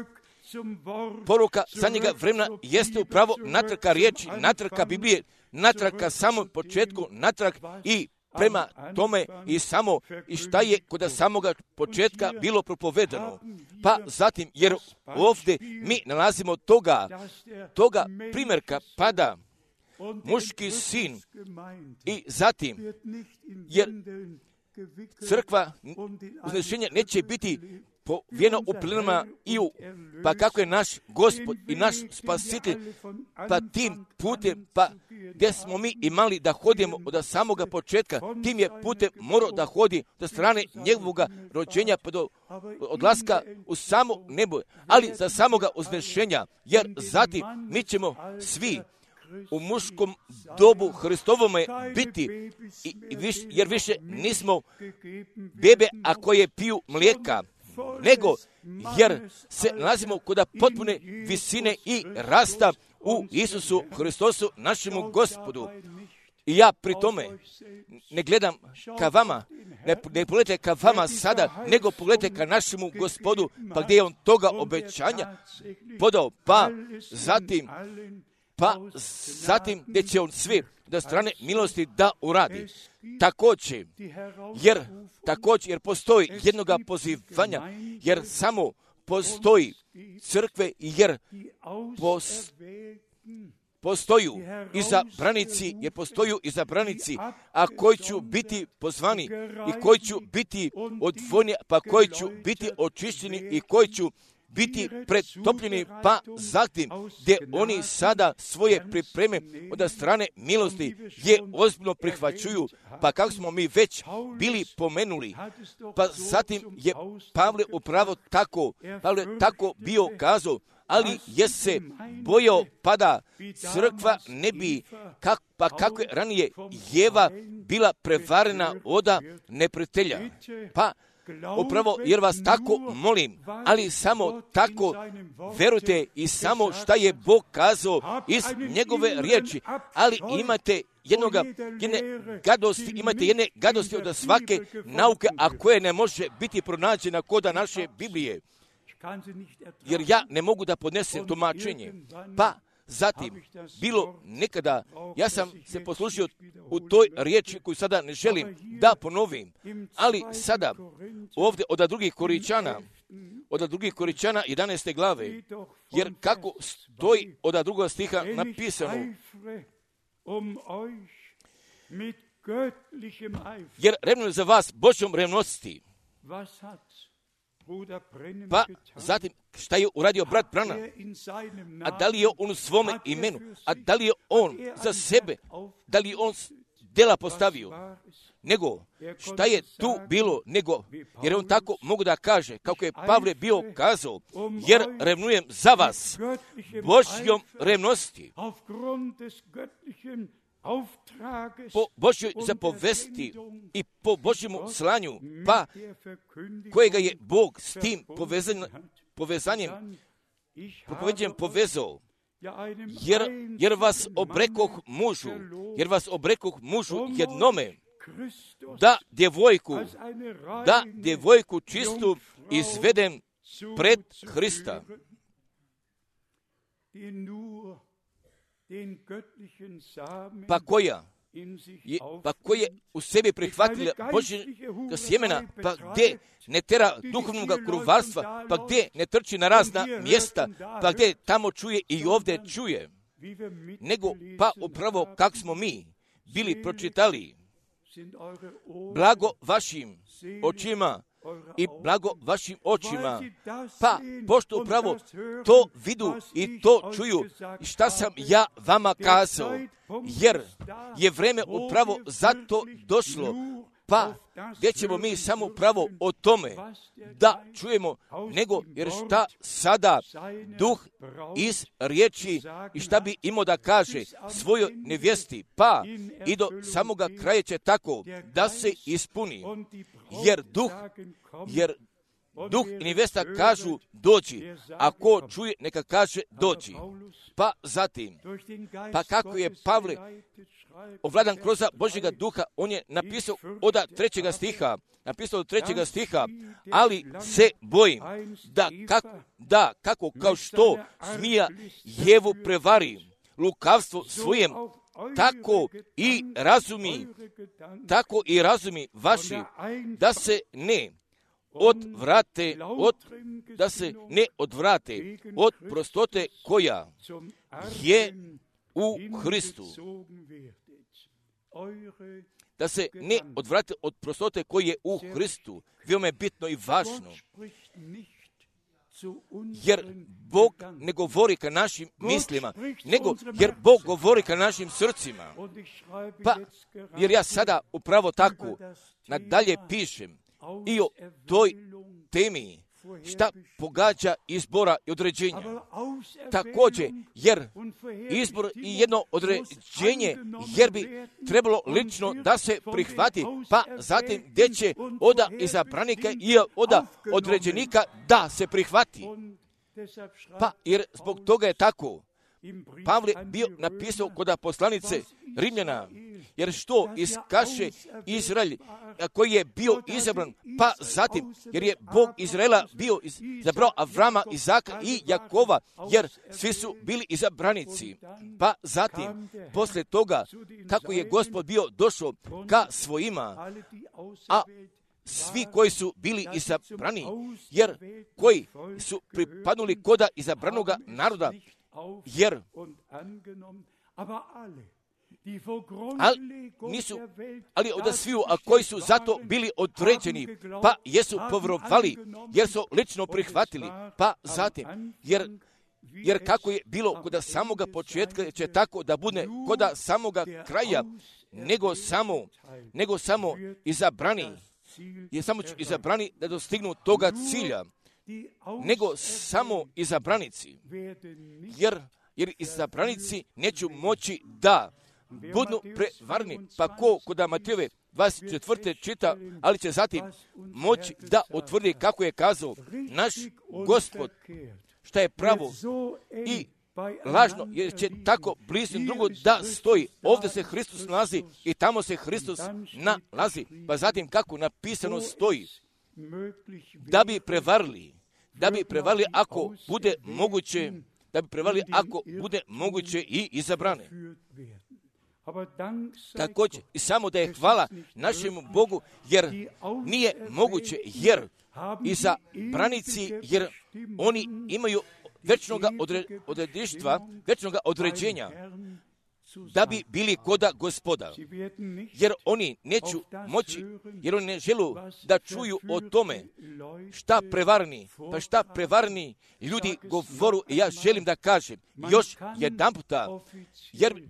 poruka zadnjega vremena jeste upravo natraka riječi, natraka Biblije, natraka samom početku, natrak i prema tome i samo i šta je kod samoga početka bilo propovedano. Pa zatim, jer ovdje mi nalazimo toga, toga primjerka pada muški sin i zatim, jer crkva uznešenja neće biti povijena u plenama i u, pa kako je naš Gospod i naš Spasitelj, pa tim putem, pa gdje smo mi imali da hodimo od samoga početka, tim je putem morao da hodi do strane njegovoga rođenja pa do odlaska u samo nebo, ali za samoga uznešenja, jer zatim mi ćemo svi u muškom dobu Hristovome biti, i, i viš, jer više nismo bebe, a koje piju mlijeka, nego jer se nalazimo kod potpune visine i rasta u Isusu Hristosu, našemu Gospodu. I ja pri tome ne gledam ka vama, ne, ne pogledajte ka vama sada, nego pogledajte ka našemu Gospodu, pa gdje je on toga obećanja podao, pa zatim pa zatim gdje će on sve do strane milosti da uradi. Također, jer, također, jer postoji jednoga pozivanja, jer samo postoji crkve, jer pos, postoju izabranici, jer postoju izabranici, a koji ću biti pozvani i koji ću biti odvojeni, pa koji ću biti očišćeni i koji ću biti pretopljeni, pa zatim gdje oni sada svoje pripreme od strane milosti je ozbiljno prihvaćuju, pa kako smo mi već bili pomenuli, pa zatim je Pavle upravo tako, Pavle tako bio kazao, ali je se bojao pa da crkva ne bi, kak, pa kako je ranije Jeva bila prevarena od neprijatelja. Pa upravo jer vas tako molim, ali samo tako verujte i samo šta je Bog kazao iz njegove riječi, ali imate jednoga, jedne gadosti, imate jedne gadosti od svake nauke, a koje ne može biti pronađena koda naše Biblije. Jer ja ne mogu da podnesem tumačenje. Pa zatim, bilo nekada, ja sam se poslužio u toj riječi koju sada ne želim da ponovim, ali sada ovdje od drugih Koričana, od drugih Koričana jedanaeste glave, jer kako stoji od drugog stiha napisano, jer revnujem za vas Božjom revnosti. Pa zatim šta je uradio brat Branham, a da li je on u svome imenu, a da li je on za sebe, da li je on dela postavio, nego šta je tu bilo, nego, jer on tako mogu da kaže, kako je Pavle bio kazao, jer revnujem za vas Božjom revnosti, po Božjoj zapovesti i po Božjemu slanju, pa kojega je Bog s tim povezan, povezanjem, propoveđenjem povezao, jer, jer vas obrekoh mužu, jer vas obrekoh mužu jednome, da djevojku, da djevojku čistu izvedem pred Hrista. Pa koja je, pa koje u sebi prihvatila Božjega sjemena, pa gdje ne tera duhovnog kruvarstva, pa gdje ne trči na razna mjesta, pa gdje tamo čuje i ovdje čuje, nego pa upravo kako smo mi bili pročitali, blago vašim očima i blago vašim očima, pa pošto upravo to vidu i to čuju, šta sam ja vama kazao, jer je vreme upravo zato došlo, pa gdje ćemo mi samo upravo o tome da čujemo, nego jer šta sada duh iz riječi i šta bi imao da kaže svojoj nevjesti, pa i do samoga kraja će tako da se ispuni, jer duh, jer duh i nevjesta kažu dođi, a ko čuje neka kaže dođi. Pa zatim, pa kako je Pavle ovladan kroz Božjega duha, on je napisao od trećega stiha, napisao od trećega stiha, ali se bojim da kako, da kako kao što zmija Jevu prevari lukavstvo svojem, tako i razumi, tako i razumi vaši, da se ne odvrate, od, da se ne odvrate od prostote koja je u Hristu. Da se ne odvrate od prostote koji je u Hristu. Veoma je bitno i važno. Jer Bog ne govori ka našim mislima, nego jer Bog govori ka našim srcima. Pa, jer ja sada upravo tako nadalje pišem i o toj temi šta pogađa izbora i određenja. Također, jer izbor i jedno određenje, jer bi trebalo lično da se prihvati, pa zatim gdje će oda izabranika i oda određenika da se prihvati. Pa jer zbog toga je tako Pavle bio napisao kod poslanice Rimljana, jer što iskaše Izrael koji je bio izabran, pa zatim, jer je Bog Izraela bio izabrao Avrama, Izaka i Jakova, jer svi su bili izabranici. Pa zatim, posle toga, kako je Gospod bio došao ka svojima, a svi koji su bili izabrani, jer koji su pripadnuli koda izabranoga naroda, jer ali, nisu, ali od sviju, a koji su zato bili određeni, pa jesu povjerovali, jer su lično prihvatili, pa zatim, jer Jer kako je bilo kod samoga početka, će tako da bude kod samoga kraja, nego samo, nego samo izabrani, je samo izabrani da dostignu toga cilja, nego samo izabranici, jer, jer izabranici neću moći da budu prevarni, pa ko kod Matejove dvadeset četvrte čita, ali će zatim moći da utvrdi kako je kazao naš Gospod, šta je pravo i lažno, jer će tako blizu drugo da stoji. Ovdje se Hristos nalazi i tamo se Hristos nalazi. Pa zatim kako napisano stoji, da bi prevarili, da bi prevarili ako bude moguće, da bi prevarili ako bude moguće i izabrane. Također i samo da je hvala našemu Bogu, jer nije moguće, jer izabranici, jer oni imaju večnoga odre, odredištva, večnoga određenja, da bi bili koda Gospoda, jer oni neću moći, jer oni ne želu da čuju o tome šta prevarni, pa šta prevarni ljudi govoru. I ja želim da kažem još jedan puta, jer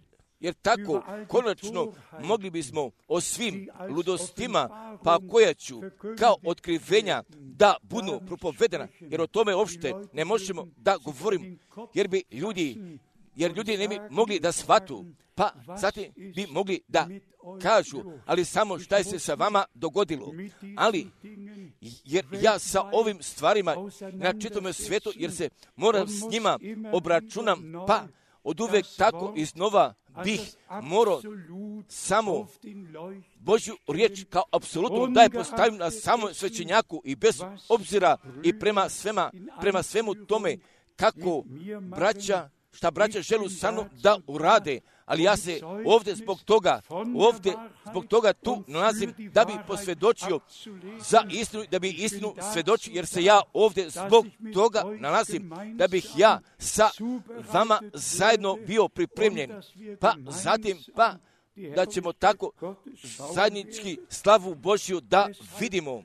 Jer tako, konačno, mogli bismo o svim ludostima, pa koja ću kao otkrivenja da budu propovedena, jer o tome uopšte ne možemo da govorimo, jer bi ljudi, jer ljudi ne bi mogli da shvatu, pa zatim bi mogli da kažu, ali samo šta je se sa vama dogodilo. Ali, jer ja sa ovim stvarima na čitavom svijetu, jer se moram s njima obračunam, pa od uvek tako iznova bih morao samo Božju riječ kao apsolutno da je postavim na samom svećenjaku i bez obzira i prema svema, prema svemu tome kako braća, šta braća želu sa mnom da urade, ali ja se ovdje zbog toga, ovdje zbog toga tu nalazim da bi posvjedočio za istinu, da bi istinu svjedočio, jer se ja ovdje zbog toga nalazim, da bih ja sa vama zajedno bio pripremljen, pa zatim, pa da ćemo tako zajednički slavu Božju da vidimo,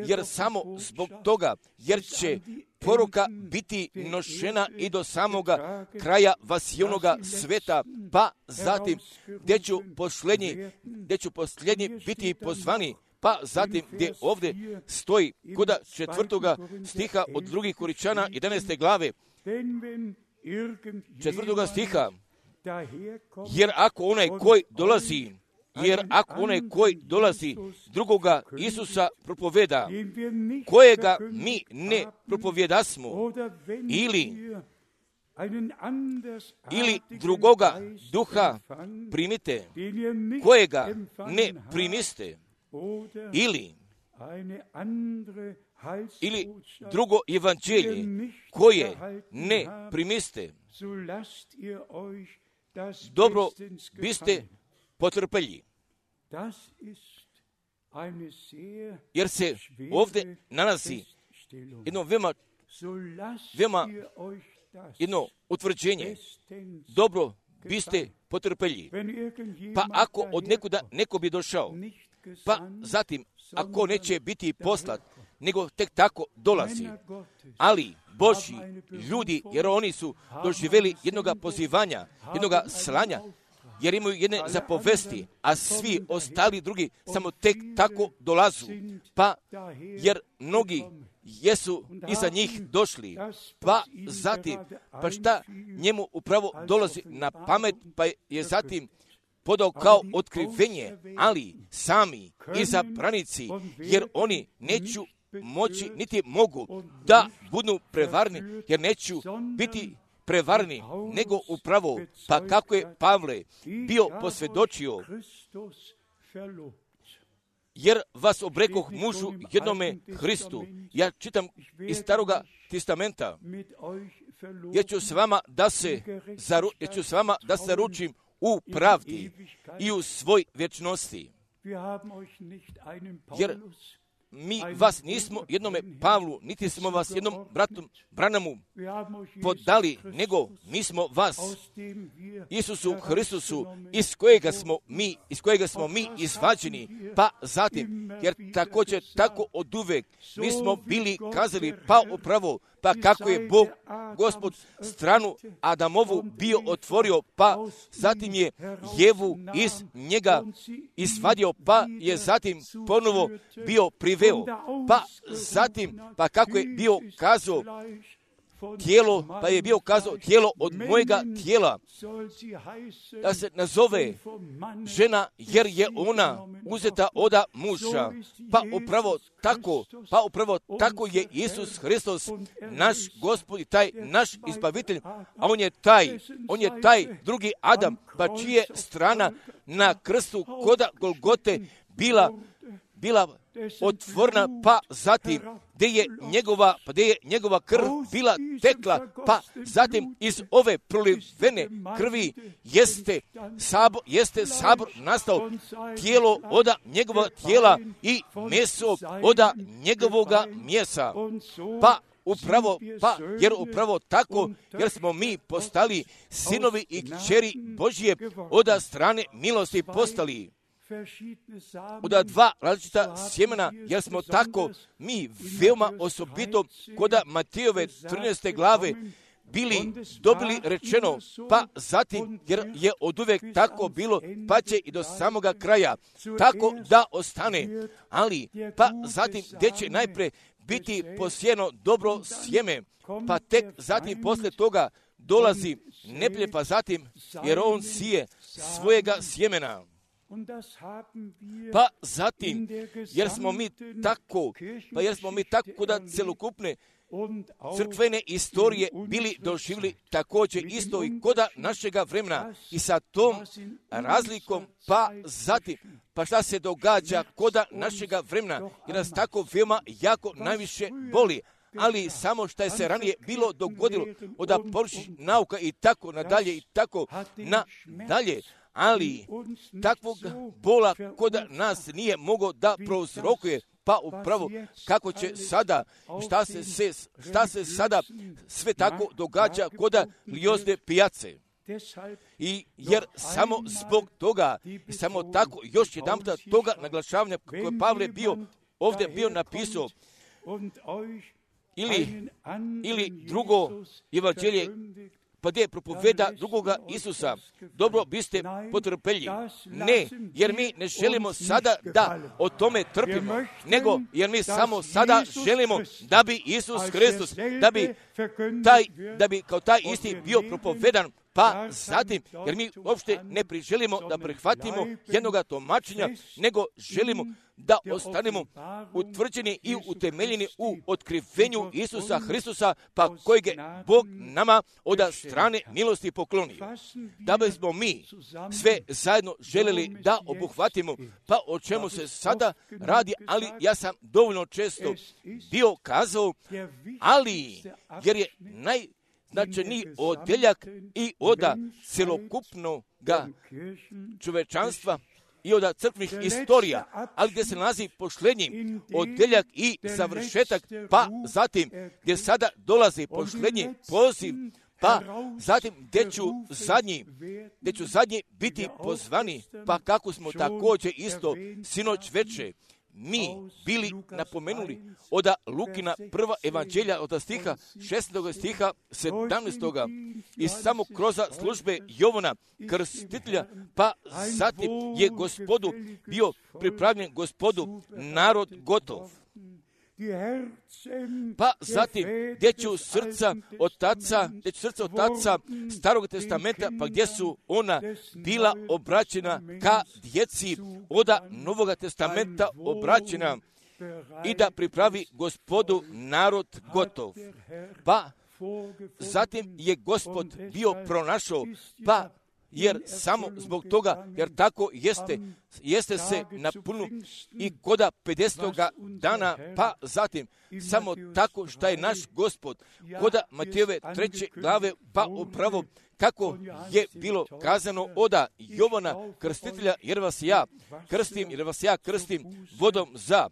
jer samo zbog toga, jer će poruka biti nošena i do samoga kraja vasijonoga sveta, pa zatim gdje ću posljednji, gdje ću posljednji biti pozvani, pa zatim gdje ovdje stoji kod četvrtoga stiha od drugih Koričana jedanaeste glave, četvrtoga stiha, jer ako onaj koji dolazi, Jer ako onaj koji dolazi drugoga Isusa propoveda, kojega mi ne propovjedasmo, ili, ili drugoga duha primite, kojega ne primiste, ili, ili drugo evanđelje, koje ne primiste, dobro biste potrpelji. Jer se ovdje nalazi jedno veoma, veoma jedno utvrđenje. Dobro biste potrpelji. Pa ako od nekuda neko bi došao, pa zatim ako neće biti poslat, nego tek tako dolazi. Ali Božji ljudi, jer oni su doživjeli jednoga pozivanja, jednoga slanja, jer imaju jedne zapovesti, a svi ostali drugi samo tek tako dolazu. Pa, jer mnogi jesu iza njih došli, pa zatim, pa šta njemu upravo dolazi na pamet, pa je zatim podao kao otkrivenje, ali sami izabranici, jer oni neću moći, niti mogu da budu prevarni, jer neću biti prevarni, nego upravo, pa kako je Pavle bio posvjedočio, jer vas obrekoh mužu jednome Hristu. Ja čitam iz Staroga testamenta, jer ću s vama da se, zaru, jer ću s vama da se ručim u pravdi i u svoj vječnosti. Jer mi vas nismo jednome Pavlu, niti smo vas jednom bratu Branamu podali, nego mi smo vas Isusu Hristusu, iz kojega smo mi, iz kojega smo mi izvađeni, pa zatim, jer također tako oduvek mi smo bili kazali, pa upravo, pa kako je Bog, Gospod, stranu Adamovu bio otvorio, pa zatim je Jevu iz njega izvadio, pa je zatim ponovo bio priveo, pa zatim, pa kako je bio kazao tijelo, pa je bio kazao tijelo od mojega tijela, da se nazove žena, jer je ona uzeta oda muža, pa upravo tako, pa upravo tako je Isus Hristos, naš Gospod i taj naš izbavitelj, a on je taj, on je taj drugi Adam, pa čije strana na krstu koda Golgote bila, bila otvorena, pa zatim gdje je njegova, pa gdje je njegova krv bila tekla, pa zatim iz ove prolivene krvi jeste sabor, jeste sabor nastao, tijelo oda njegova tijela i meso oda njegovoga mjesa, pa upravo, pa jer upravo tako, jer smo mi postali sinovi i kćeri Božje oda strane milosti postali. Oda dva različita sjemena, jer smo tako mi veoma osobito koda Matejove trinaeste glave bili dobili rečeno, pa zatim, jer je oduvek tako bilo, pa će i do samoga kraja tako da ostane, ali pa zatim gdje će najpre biti posijeno dobro sjeme, pa tek zatim posle toga dolazi neplje, pa zatim, jer on sije svojega sjemena. Pa zatim, jer smo mi tako, pa jer smo mi tako da celokupne crkvene istorije bili doživjeli također isto i koda našega vremena i sa tom razlikom, pa zatim, pa šta se događa koda našega vremena, jer nas tako veoma jako najviše boli, ali samo što je se ranije bilo dogodilo od površnih nauka i tako nadalje i tako nadalje, ali takvog bola koda nas nije mogao da prouzrokuje, pa upravo kako će sada, šta se, se, šta se sada sve tako događa koda Liozne pijace. I jer samo zbog toga, samo tako, još jedan puta toga naglašavanja koje Pavle bio ovdje bio napisao, ili, ili drugo evanđelje, pa gdje propoveda drugoga Isusa, dobro biste potrpelji. Ne, jer mi ne želimo sada da o tome trpimo, nego jer mi samo sada želimo da bi Isus Hristos, da bi, taj, da bi kao taj isti bio propovedan, pa zatim, jer mi uopšte ne priželimo da prihvatimo jednoga tumačenja, nego želimo da ostanemo utvrđeni i utemeljeni u otkrivenju Isusa Hristusa, pa kojeg je Bog nama od strane milosti poklonio. Da bismo mi sve zajedno željeli da obuhvatimo, pa o čemu se sada radi, ali ja sam dovoljno često bio kazao, ali jer je naj značajniji odjeljak i oda celokupnog čovečanstva i od crkvnih istorija, ali gdje se nalazi posljednji odjeljak i završetak, pa zatim gdje sada dolazi posljednji poziv, pa zatim gdje ću zadnji, gdje ću zadnji biti pozvani, pa kako smo također isto sinoć veče mi bili napomenuli od Lukina prva evanđelja od stiha šesnaestog stiha sedamnaestog i samo kroz službe Jovana Krstitelja, pa zatim je Gospodu bio pripravljen Gospodu narod gotov. Pa zatim, gdje ću srca otaca, gdje ću srca otaca Starog testamenta, pa gdje su ona bila obraćena ka djeci oda Novoga testamenta obraćena i da pripravi Gospodu narod gotov. Pa zatim je Gospod bio pronašao, pa jer samo zbog toga, jer tako jeste, jeste se napunilo i koda pedesetoga dana, pa zatim samo tako što je naš Gospod koda Matejove treće glave, pa upravo kako je bilo kazano oda Jovana krstitelja, jer vas ja krstim, jer vas ja krstim vodom za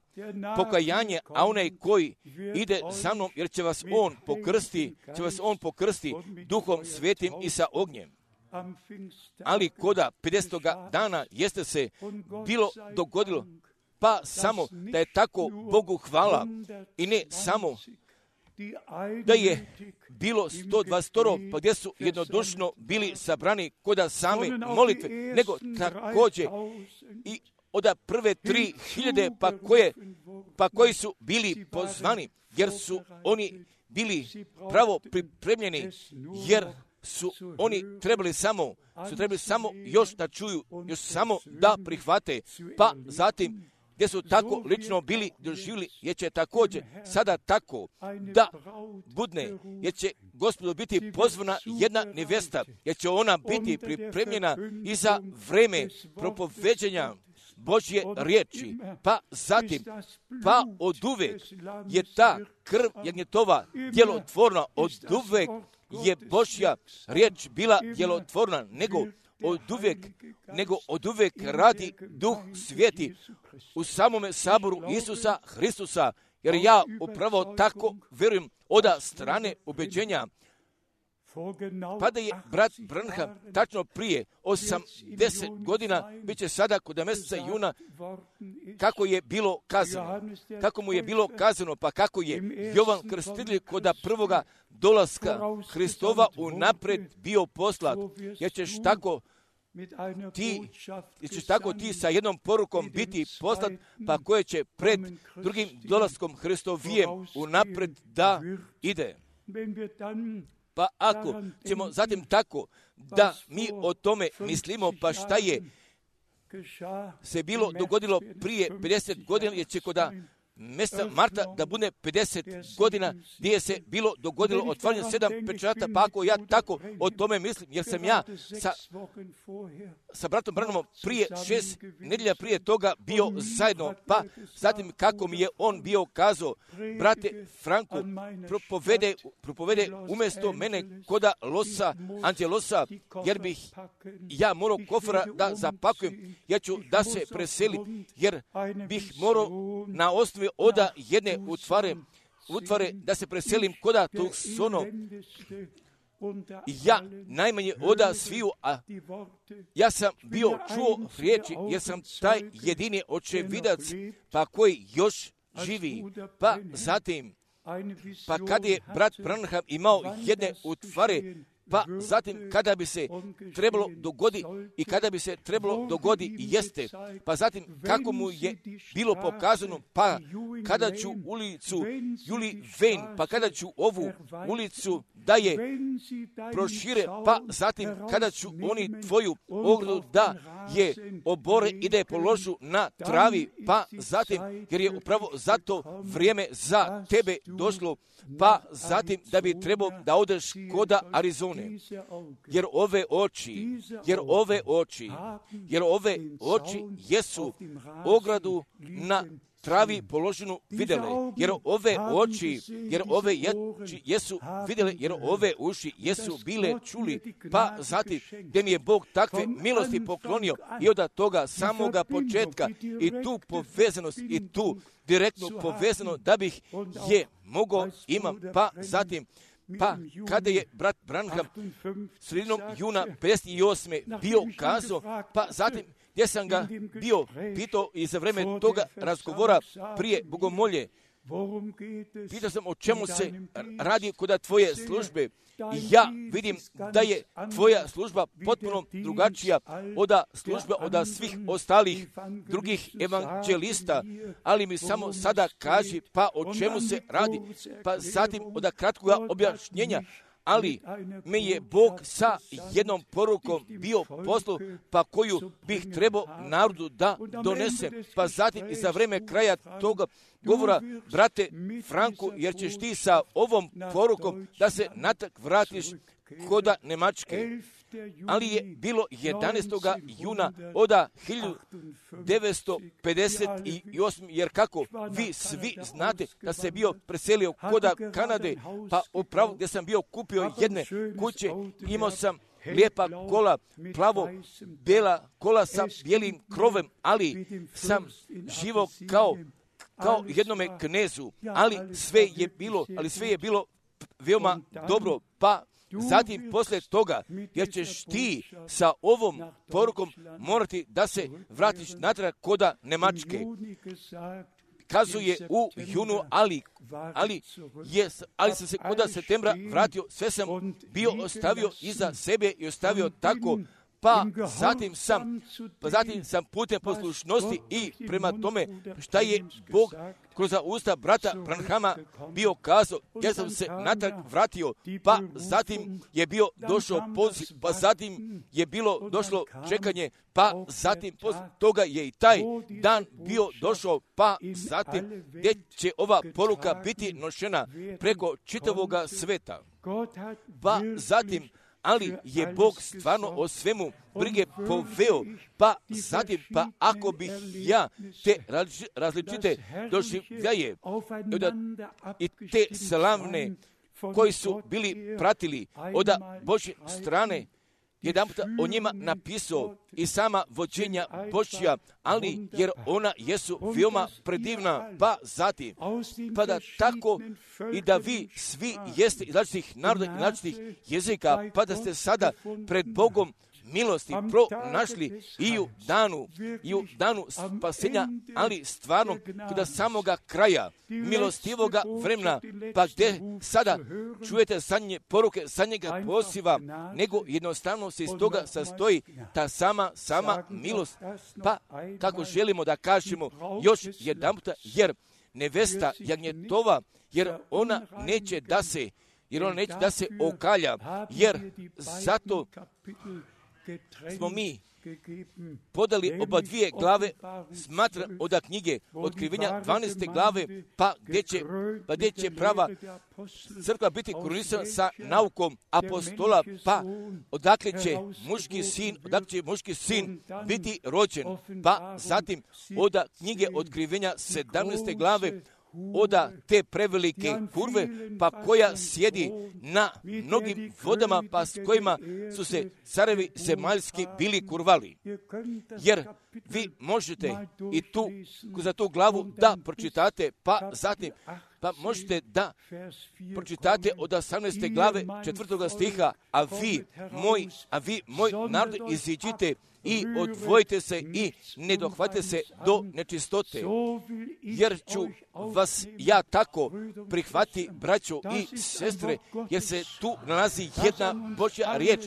pokajanje, a onaj koji ide za mnom, jer će vas on pokrsti, će vas on pokrsti Duhom Svetim i sa ognjem. Ali koda pedesetoga dana jeste se bilo dogodilo, pa samo da je tako Bogu hvala i ne samo da je bilo sto dvadeset, pa gdje su jednodušno bili sabrani koda same molitve, nego također i od prve tri hiljade, pa koje, pa koji su bili pozvani, jer su oni bili pravo pripremljeni, jer su oni trebali samo, su trebali samo još da čuju, još samo da prihvate, pa zatim gdje su tako lično bili doživjeli, jer će također sada tako da budne, jer će Gospodu biti pozvana jedna nevesta, jer će ona biti pripremljena i za vreme propoveđenja Božje riječi, pa zatim, pa oduvek je ta krv jagnjetova djelotvorna, oduvek je Božja riječ bila djelotvorna, nego oduvek, nego oduvek radi Duh Sveti u samome saboru Isusa Hristusa, jer ja upravo tako vjerujem od strane ubeđenja. Pa da je brat Branham tačno prije osamdeset godina, bit će sada kod mjeseca juna, kako je bilo kazano, kako mu je bilo kazano, pa kako je Jovan Krstitelj kod prvoga dolaska Hristova unaprijed bio poslat, jer ćeš tako ti, jer ćeš tako ti sa jednom porukom biti poslat, pa koje će pred drugim dolaskom Hristovijem unaprijed da ide. Pa ako ćemo zatim tako da mi o tome mislimo, pa šta je se bilo dogodilo prije pedeset godina, jer će koda mjeseca marta da bude pedeset godina gdje je se bilo dogodilo otvaranje sedam pečata, pa ako ja tako o tome mislim, jer sam ja sa, sa bratom Branhamom prije šest nedjelja prije toga bio zajedno, pa zatim kako mi je on bio kazao, brate Franku, propovede, propovede umjesto mene koda losa, antilosa, jer bih ja morao kofra da zapakujem, ja ću da se preselim, jer bih morao na osnovi oda jedne utvare, utvare da se preselim koda tog sono. Ja najmanje oda sviju, a ja sam bio čuo riječi, jer sam taj jedini očevidac, pa koji još živi. Pa zatim, pa kad je brat Branham imao jedne utvare, pa zatim kada bi se trebalo dogodi i kada bi se trebalo dogodi i jeste, pa zatim kako mu je bilo pokazano, pa kada ću ulicu Juli Ven, pa kada ću ovu ulicu da je prošire, pa zatim kada ću oni tvoju ogradu da je obore i da je položu na travi, pa zatim, jer je upravo zato vrijeme za tebe došlo, pa zatim da bi trebao da odeš koda Arizone. Jer ove oči, jer ove oči, jer ove oči jesu ogradu na travi položenu vidjele, jer ove oči, jer ove oči jesu vidjele, jer ove uši jesu bile čuli, pa zatim gdje mi je Bog takve milosti poklonio i od toga samoga početka i tu povezanost i tu direktnu povezano da bih je mogao imam, pa zatim pa kada je brat Branham sredinom juna pedeset osme bio kazao, pa zatim gdje sam ga bio pitao i za vreme toga razgovora prije bogomolje, pitao sam o čemu se radi kod tvoje službe. I ja vidim da je tvoja služba potpuno drugačija od službe od svih ostalih drugih evanđelista, ali mi samo sada kaži pa o čemu se radi, pa zatim od kratkoga objašnjenja, ali me je Bog sa jednom porukom bio poslao, pa koju bih trebao narodu da donese, pa zatim i za vreme kraja toga govora, brate Franku, jer ćeš ti sa ovom porukom da se natak vratiš koda Nemačke. ali je bilo jedanaestog juna od hiljadu devetsto pedeset osme. Jer kako vi svi znate da se bio preselio kod Kanade, pa upravo gdje sam bio kupio jedne kuće, imao sam lijepa kola, plavo, bijela kola sa bijelim krovem, ali sam živo kao kao jednome knezu, ali sve je bilo, ali sve je bilo veoma dobro, pa zatim poslije toga, jer ćeš ti sa ovom porukom morati da se vratiš natrag koda Nemačke. Kazuje u junu, ali, ali, je, ali sam se koda septembra vratio, sve sam bio ostavio iza sebe i ostavio tako, pa zatim sam, pa zatim sam putem poslušnosti i prema tome šta je Bog kroz usta brata Branhama bio kazao, ja sam se natrag vratio, pa zatim je bio došao poziv, pa zatim je bilo došlo čekanje, pa zatim poslije toga je i taj dan bio došao, pa zatim gdje će ova poruka biti nošena preko čitavoga sveta. Pa zatim ali je Bog stvarno o svemu brige poveo, pa zatim, pa ako bih ja te različite doživljaje i te slavne koji su bili pratili od Božje strane, jedan puta o njima napisao i sama vođenja Božja, ali jer ona jesu veoma predivna, pa zatim, pa da tako i da vi svi jeste iz različitih naroda i različitih jezika, pa da ste sada pred Bogom milosti pronašli i u danu, i u danu spasenja, ali stvarno kod samoga kraja milostivoga vremena, pa gdje sada čujete zadnje poruke, zadnjega poziva, nego jednostavno se iz toga sastoji ta sama, sama milost. Pa kako želimo da kažemo još jedan puta, jer nevesta jagnjetova, jer ona neće da se, jer ona neće da se okalja, jer zato smo mi podali oba dvije glave, smatra od knjige Otkrivenja dvanaeste glave, pa gdje će, pa gdje će prava crkva biti krunisana sa naukom apostola, pa odakle će muški sin, odakle će muški sin biti rođen, pa zatim od knjige Otkrivenja sedamnaeste glave, oda te prevelike kurve, pa koja sjedi na mnogim vodama, pa s kojima su se carevi zemaljski bili kurvali. Jer vi možete i tu, za tu glavu da pročitate, pa zatim, pa možete da pročitate od osamnaeste glave četvrtoga stiha, a vi, moj, a vi, moj narod, iziđite i odvojite se i ne dohvatite se do nečistote, jer ću vas ja tako prihvati, braćo i sestre, jer se tu nalazi jedna Božja riječ,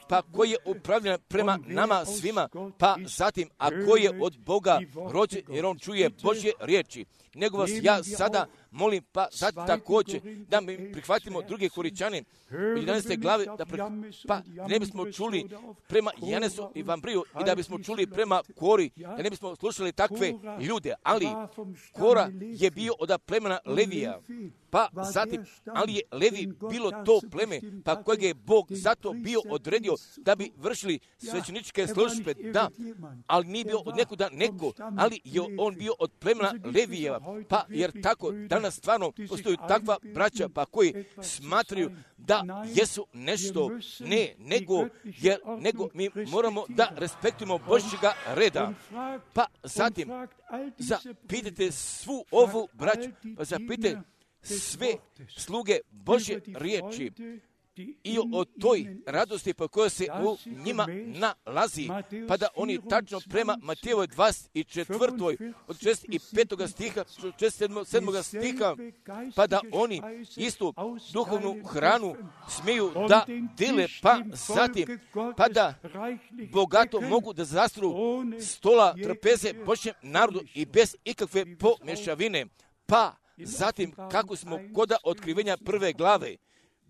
pa koja je upravljena prema nama svima, pa zatim, a ko je od Boga rođen, jer on čuje Božje riječi. Nego vas ja sada molim, pa sad također da mi prihvatimo druge Koričane u jedanaeste glave, da pre, pa ne bismo čuli prema Janesu i Vambriju i da bismo čuli prema Kori, da ne bismo slušali takve ljude, ali Kora je bio od plemena Levija, pa zatim, ali je Levi bilo to pleme, pa kojeg je Bog zato bio odredio da bi vršili svećeničke službe, da, ali nije bio od nekuda neko, ali je on bio od plemena Levijeva, pa jer tako danas stvarno postoji takva braća, pa koji smatraju da jesu nešto, ne, nego, jer, nego mi moramo da respektujemo Božjega reda. Pa zatim, zapitajte svu ovu braću, pa zapitajte sve sluge Božje riječi i o toj radosti po kojoj se u njima nalazi, pa da oni tačno prema Matejevoj dvadeset četvrtoj od šezdeset petog stiha, šezdeset sedmog stiha, pa da oni istu duhovnu hranu smiju da dele, pa zatim, pa da bogato mogu da zastru stola trpeze Božjem narodu i bez ikakve pomješavine, pa zatim kako smo koda otkrivenja prve glave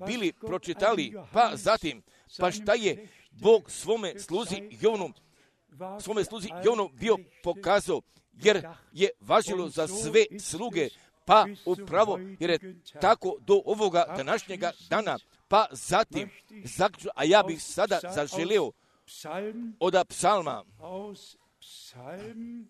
bili pročitali, pa zatim, pa šta je Bog svome sluzi Jovnu, svome sluzi Jovnu bio pokazao, jer je važilo za sve sluge, pa upravo, jer je tako do ovoga današnjega dana, Pa zatim, zaključno, a ja bih sada zaželio od psalma aus Psalm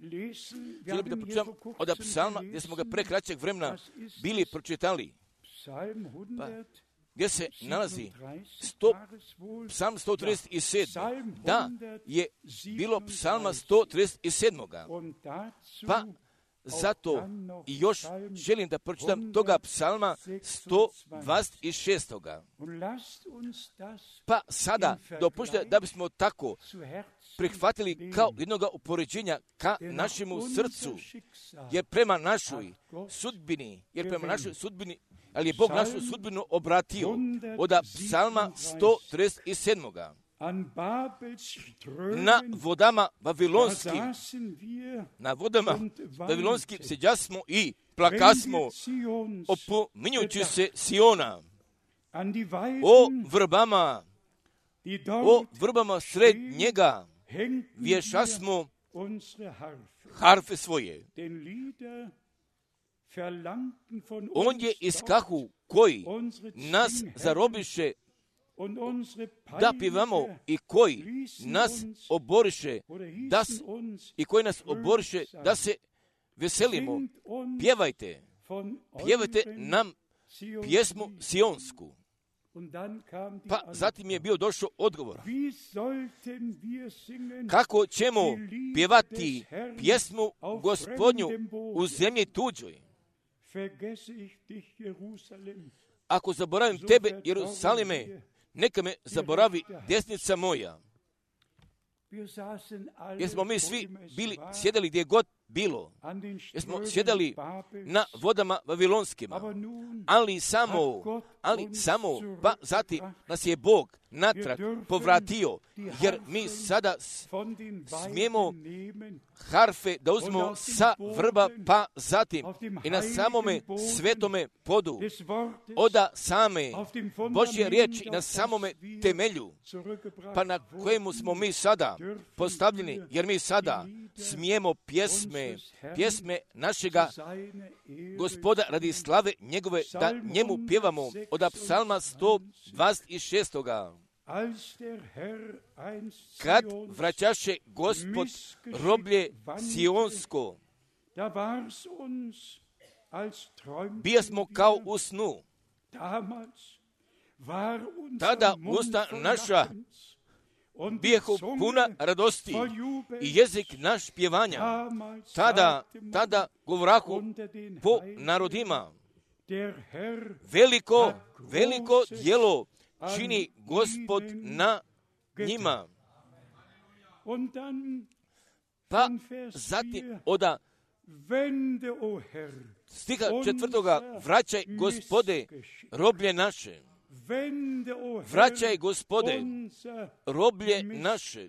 lesen. Želio bih da pročitam od psalma gdje smo ga pre kraćeg vremena bili pročitali. Pa, gdje se nalazi sto, psalm sto trideset sedam. Da, je bilo psalma sto trideset sedam. Pa, zato i još želim da pročitam toga psalma sto dvadeset šest. Pa sada dopustite da bismo tako prihvatili kao jednoga upoređenja ka našemu srcu, jer prema našoj sudbini, jer prema našoj sudbini, ali je Bog našu sudbinu obratio od psalma sto trideset sedam. Na vodama vavilonskim, na vodama vavilonskim seđasmo i plakasmo, opominjući se Siona, o vrbama, o vrbama sred njega, vješasmo harfe svoje. On je iskahu koji nas zarobiše da pivamo i koji nas oboriše da s, i koji nas oboriše da se veselimo. Pjevajte, pjevajte nam pjesmu sionsku. Pa zatim je bio došao odgovor. Kako ćemo pjevati pjesmu Gospodnju u zemlji tuđoj? Ako zaboravim tebe, Jerusalime, neka me zaboravi desnica moja. Jer smo mi svi bili, sjedali gdje god bilo. Jer smo sjedali na vodama vavilonskima. Ali samo, ali samo, pa zatim nas je Bog natrag povratio, jer mi sada smijemo harfe da uzmemo sa vrba, pa zatim i na samome svetome podu, oda same Božje riječi, na samome temelju, pa na kojemu smo mi sada postavljeni, jer mi sada smijemo pjesme, pjesme našega Gospoda radi slave njegove, da njemu pjevamo od psalma sto dvadeset šest. Kad vraćaše Gospod roblje Sionsko, bija smo kao u snu. Tada usta naša bijehu puna radosti i jezik naš pjevanja. Tada, tada govorahu po narodima. Veliko, veliko djelo čini Gospod na njima. Pa zatim oda stiha četvrtoga, vraćaj Gospode roblje naše. Vraćaj Gospode roblje naše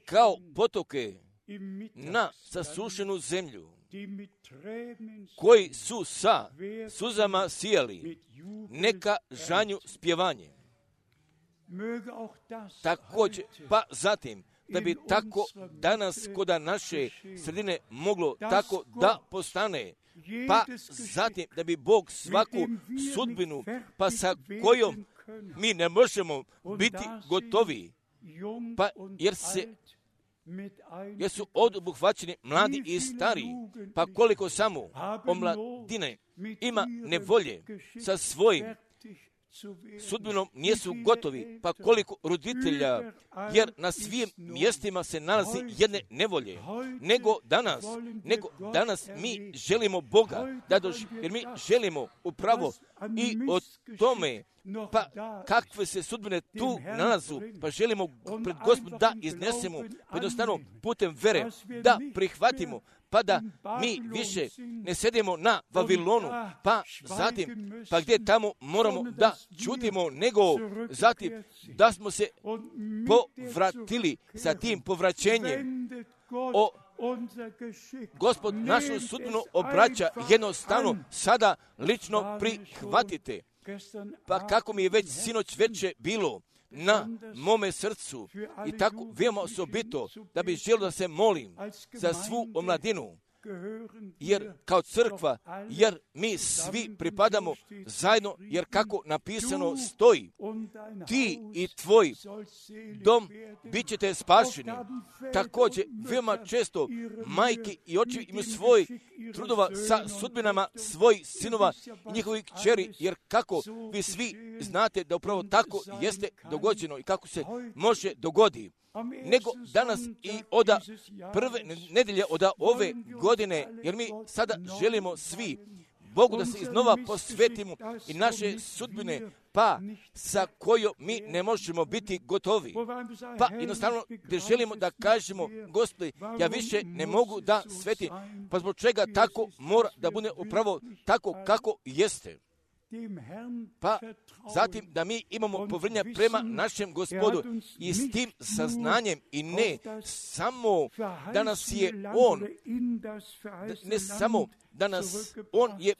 kao potoke na sasušenu zemlju, koji su sa suzama sijali, neka žanju spjevanje. Također, pa zatim, da bi tako danas kod naše sredine moglo tako da postane, pa zatim da bi Bog svaku sudbinu, pa sa kojom mi ne možemo biti gotovi, pa jer se jer su obuhvaćeni mladi i stari, pa koliko samo omladine ima nevolje sa svojim sudbinom nisu gotovi, pa koliko roditelja, jer na svim mjestima se nalazi jedne nevolje, nego danas, nego danas mi želimo Boga, da doži, jer mi želimo upravo i o tome, pa kakve se sudbine tu nalazu, pa želimo pred Gospodom da iznesemo, jednostavno putem vere, da prihvatimo, pa da mi više ne sedimo na Vavilonu, pa zatim, pa gdje tamo moramo da čutimo, nego zatim da smo se povratili sa tim povraćenjem. O, Gospod našu sudbinu obraća, jednostavno sada lično prihvatite. Pa kako mi je već sinoć veče bilo, na mome srcu i tako veoma osobito da bi želio da se molim za svu omladinu, jer kao crkva, jer mi svi pripadamo zajedno, jer kako napisano stoji, ti i tvoj dom bit ćete spašeni. Također, veoma često majke i očevi imaju svoj trudova sa sudbinama svojih sinova i njihovih kćeri, jer kako vi svi znate da upravo tako jeste dogođeno i kako se može dogodi. Nego danas i oda prve nedelje oda ove godine, jer mi sada želimo svi Bogu da se iznova posvetimo i naše sudbine, pa sa kojom mi ne možemo biti gotovi. Pa jednostavno gdje želimo da kažemo, Gospodi, ja više ne mogu da svetim, pa zbog čega tako mora da bude upravo tako kako jeste. Pa zatim da mi imamo povjerenja prema našem Gospodu i s tim saznanjem i ne samo da nas je On, ne samo da nas On je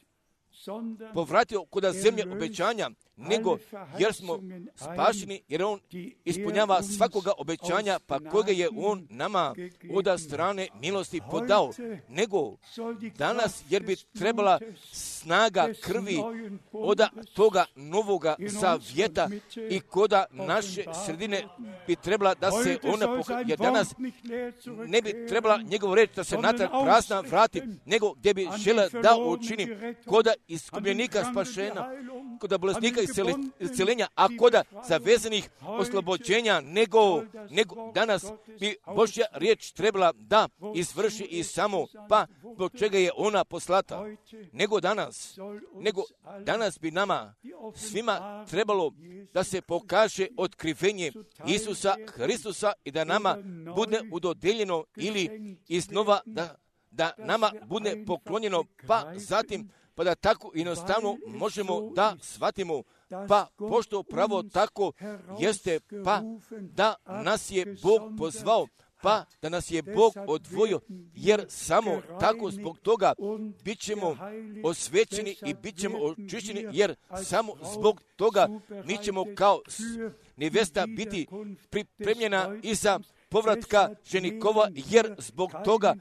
povratio kod zemlje obećanja, nego jer smo spašeni, jer On ispunjava svakoga obećanja, pa koga je On nama od strane milosti podao, nego danas, jer bi trebala snaga krvi od toga novoga zavjeta i koda naše sredine bi trebala da se ona pokaže, jer danas ne bi trebala njegov reč da se natrag prazna vrati, nego gdje bi žela da učini koda iskupljenika spašena, koda bolesnika isceljenja, a koda zavezanih oslobođenja, nego, nego danas bi Božja riječ trebala da izvrši i samo, pa zbog čega je ona poslata. Nego danas, nego danas bi nama svima trebalo da se pokaže otkrivenje Isusa Hristusa i da nama bude udodeljeno ili iznova da, da nama bude poklonjeno, pa zatim pa da tako jednostavno možemo da shvatimo, pa pošto pravo tako jeste, pa da nas je Bog pozvao, pa da nas je Bog odvojio, jer samo tako zbog toga bit ćemo osvećeni i bit ćemo očišćeni, jer samo zbog toga mi ćemo kao nevesta biti pripremljena iza povratka ženikova, jer zbog toga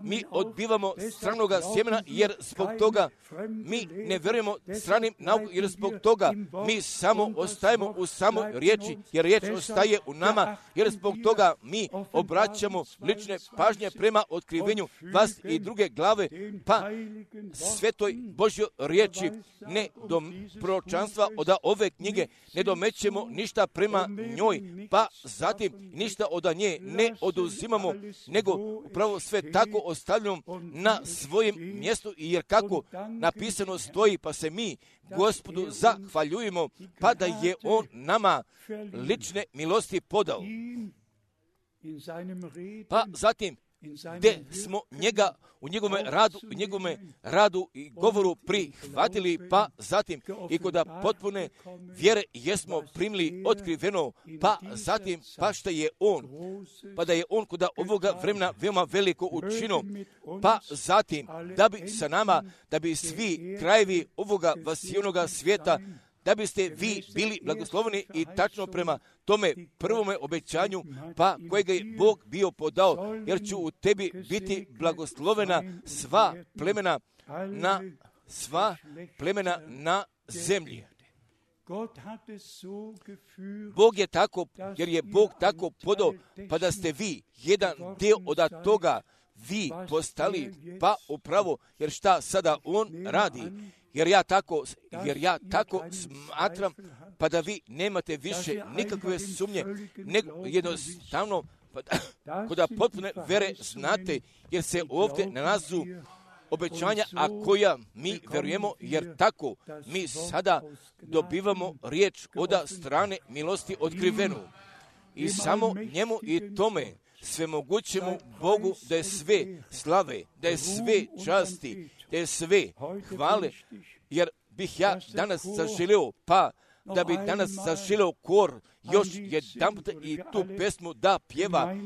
mi odbivamo stranoga sjemena, jer zbog toga mi ne vjerujemo stranim nauku, jer zbog toga mi samo ostajemo u samoj riječi, jer riječ ostaje u nama, jer zbog toga mi obraćamo lične pažnje prema otkrivenju vas i druge glave, pa svetoj Božjoj riječi ne do proročanstva od ove knjige ne domećemo ništa prema njoj, pa zatim ništa od nje ne oduzimamo, nego upravo sve tako ostavljamo na svojem mjestu, jer kako napisano stoji, pa se mi Gospodu zahvaljujemo, pa da je On nama lične milosti podao. Pa zatim gdje smo njega u njegovome radu, u njegovome radu i govoru prihvatili, pa zatim i kod potpune vjere jesmo primili otkriveno, pa zatim pa što je On, pa da je On kod ovoga vremena veoma veliko učinio, pa zatim da bi sa nama, da bi svi krajevi ovoga vasijonoga svijeta, da biste vi bili blagosloveni i tačno prema tome prvome obećanju, pa kojega je Bog bio podao, jer ću u tebi biti blagoslovena sva plemena na sva plemena na zemlji. Bog je tako, jer je Bog tako podao, pa da ste vi jedan dio od toga vi postali, pa upravo, jer šta sada On radi, jer ja tako, jer ja tako smatram, pa da vi nemate više nikakve sumnje, nego jednostavno, pa da, kod potpune vere znate, jer se ovdje nalazu obećanja, a koja mi verujemo, jer tako mi sada dobivamo riječ od strane milosti otkrivenu. I samo njemu i tome svemogućemu Bogu da je sve slave, da je sve časti, da je sve hvale, jer bih ja danas zaželio, pa da bi danas zaželio kor još jedan put i tu pesmu da pjeva,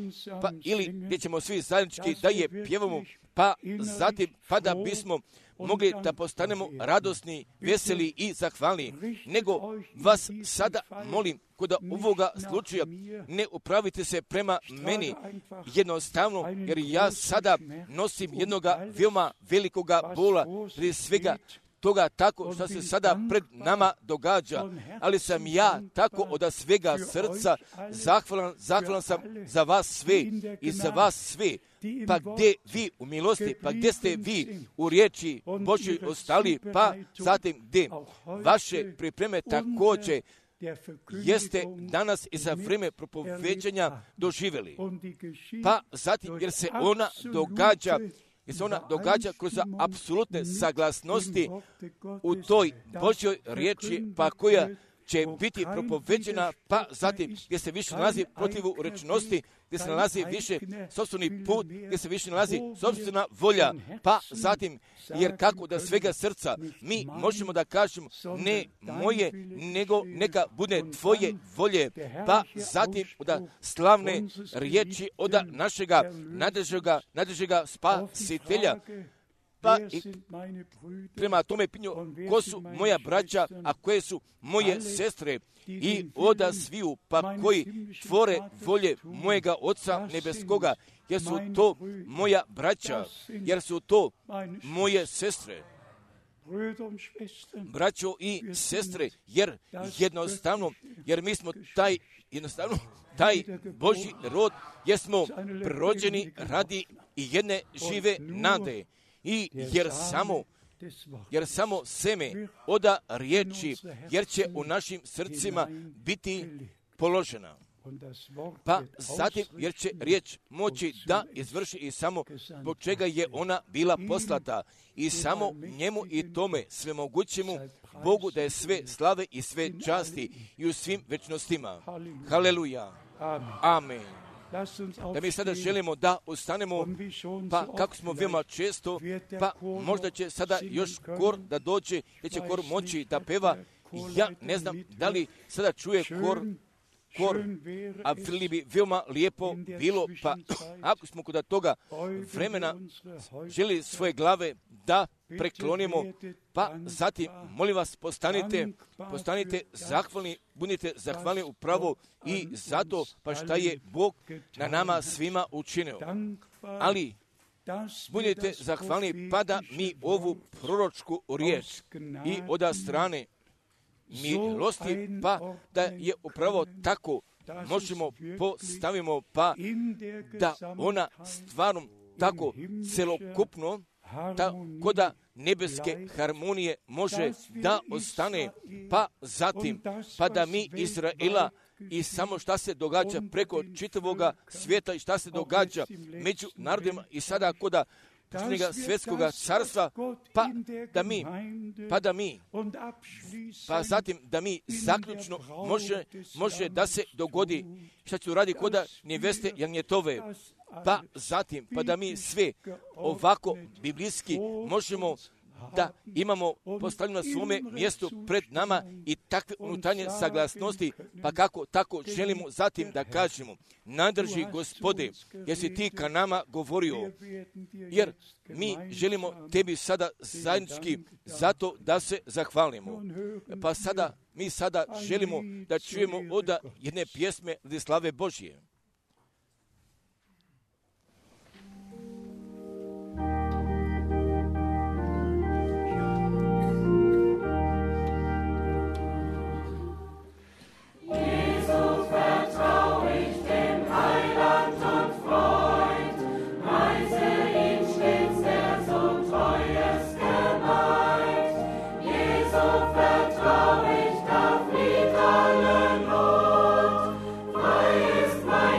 pa ili gdje ćemo svi zajednički da je pjevamo, pa zatim pa da bismo mogli da postanemo radosni, veseli i zahvalni, nego vas sada molim, kod ovoga slučaja ne upravite se prema meni jednostavno, jer ja sada nosim jednoga veoma velikoga bola, prije svega toga tako što se sada pred nama događa, ali sam ja tako od svega srca zahvalan, zahvalan sam za vas sve i za vas sve. Pa gdje vi u milosti, pa gdje ste vi u riječi Božjoj ostali, pa zatim gdje vaše pripreme također jeste danas i za vrijeme propoveđanja doživjeli. Pa zatim jer se ona događa, jer se ona događa kroz apsolutne saglasnosti u toj Božjoj riječi, pa koja će biti propoveđena, pa zatim gdje se više nalazi protivu rečnosti, gdje se nalazi više sopstveni put, gdje se više nalazi sopstvena volja, pa zatim, jer kako da svega srca mi možemo da kažemo ne moje, nego neka bude tvoje volje, pa zatim od slavne riječi od našega nadrežega, nadrežega spasitelja. Pa i prema tome pinju, ko su moja braća, a koje su moje sestre i oda sviju, pa koji tvore volje mojega Oca nebeskoga, jer su to moja braća, jer su to moje sestre. Braćo i sestre, jer jednostavno, jer mi smo taj, jednostavno, taj Božji rod, jer smo rođeni radi i jedne žive nade. I jer samo, jer samo seme oda riječi, jer će u našim srcima biti položena. Pa zatim, jer će riječ moći da izvrši i samo zbog čega je ona bila poslata i samo njemu i tome svemogućemu Bogu da je sve slave i sve časti i u svim večnostima. Haleluja. Amen. Da mi sada želimo da ostanemo, pa kako smo veoma često, pa možda će sada još kor da dođe, jer će kor moći da peva. Ja ne znam da li sada čuje kor, kor, a li bi veoma lijepo bilo, pa ako smo kod toga vremena želi svoje glave da preklonimo, pa zatim, molim vas, postanite, postanite zahvalni, budite zahvalni upravo i zato, pa šta je Bog na nama svima učinio. Ali, budite zahvalni, pa da mi ovu proročku riječ i od strane milosti, pa da je upravo tako možemo postavimo, pa da ona stvarno tako celokupno, tako da nebeske harmonije može da ostane, pa zatim, pa da mi Izraela i samo šta se događa preko čitavoga svijeta i šta se događa među narodima i sada koda posljednjega svjetskoga carstva, pa da mi, pa da mi, pa zatim da mi zaključno može, može da se dogodi šta će uradi koda neveste Janjetove, pa zatim, pa da mi sve ovako biblijski možemo da imamo postavljeno na svome mjestu pred nama i takve unutarnje saglasnosti, pa kako tako želimo zatim da kažemo, nadrži Gospode, jer si ti ka nama govorio, jer mi želimo tebi sada zajednički zato da se zahvalimo. Pa sada, mi sada želimo da čujemo od jedne pjesme radi slave Božje. Vertrau ich, da flieht alle Not, frei ist mein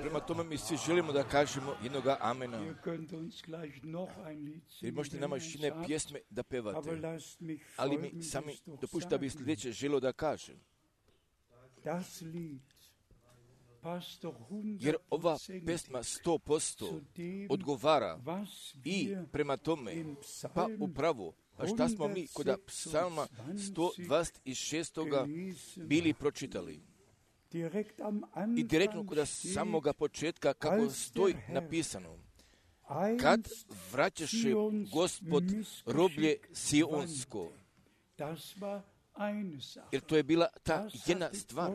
Prema tome mi svi želimo da kažemo jednoga amena. Jer možete nama još jedne pjesme da pevate. Ali mi sami dopušta da bi sljedeće želio da kažem. Jer ova pesma sto posto odgovara i prema tome, pa upravo, pa šta smo mi kod psalma sto dvadeset šest bili pročitali. I direktno kod samoga početka kako stoji napisano. Kad vraćaše Gospod roblje Sionsko. Jer to je bila ta jedna stvar.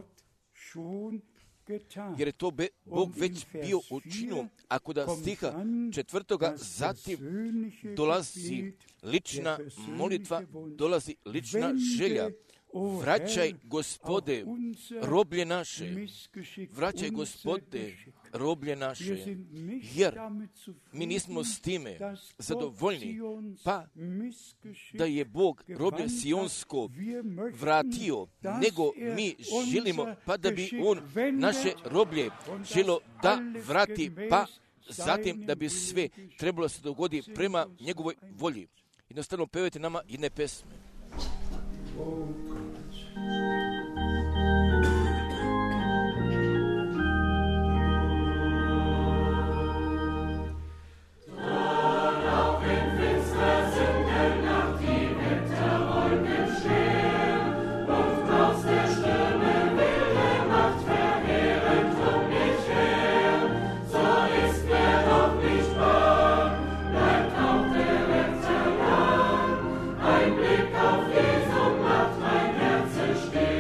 Jer je to be, Bog već bio učinio, a kod stiha četvrtoga zatim dolazi lična molitva, dolazi lična želja. Vraćaj, Gospode, roblje naše, vraćaj, Gospode, roblje naše, jer mi nismo s time zadovoljni, pa da je Bog roblje Sionsko vratio, nego mi želimo, pa da bi On naše roblje želo da vrati, pa zatim da bi sve trebalo se dogodi prema njegovoj volji. Jednostavno pevajte nama jedne pesme. Oh. Blick auf Jesu macht mein Herz stehen.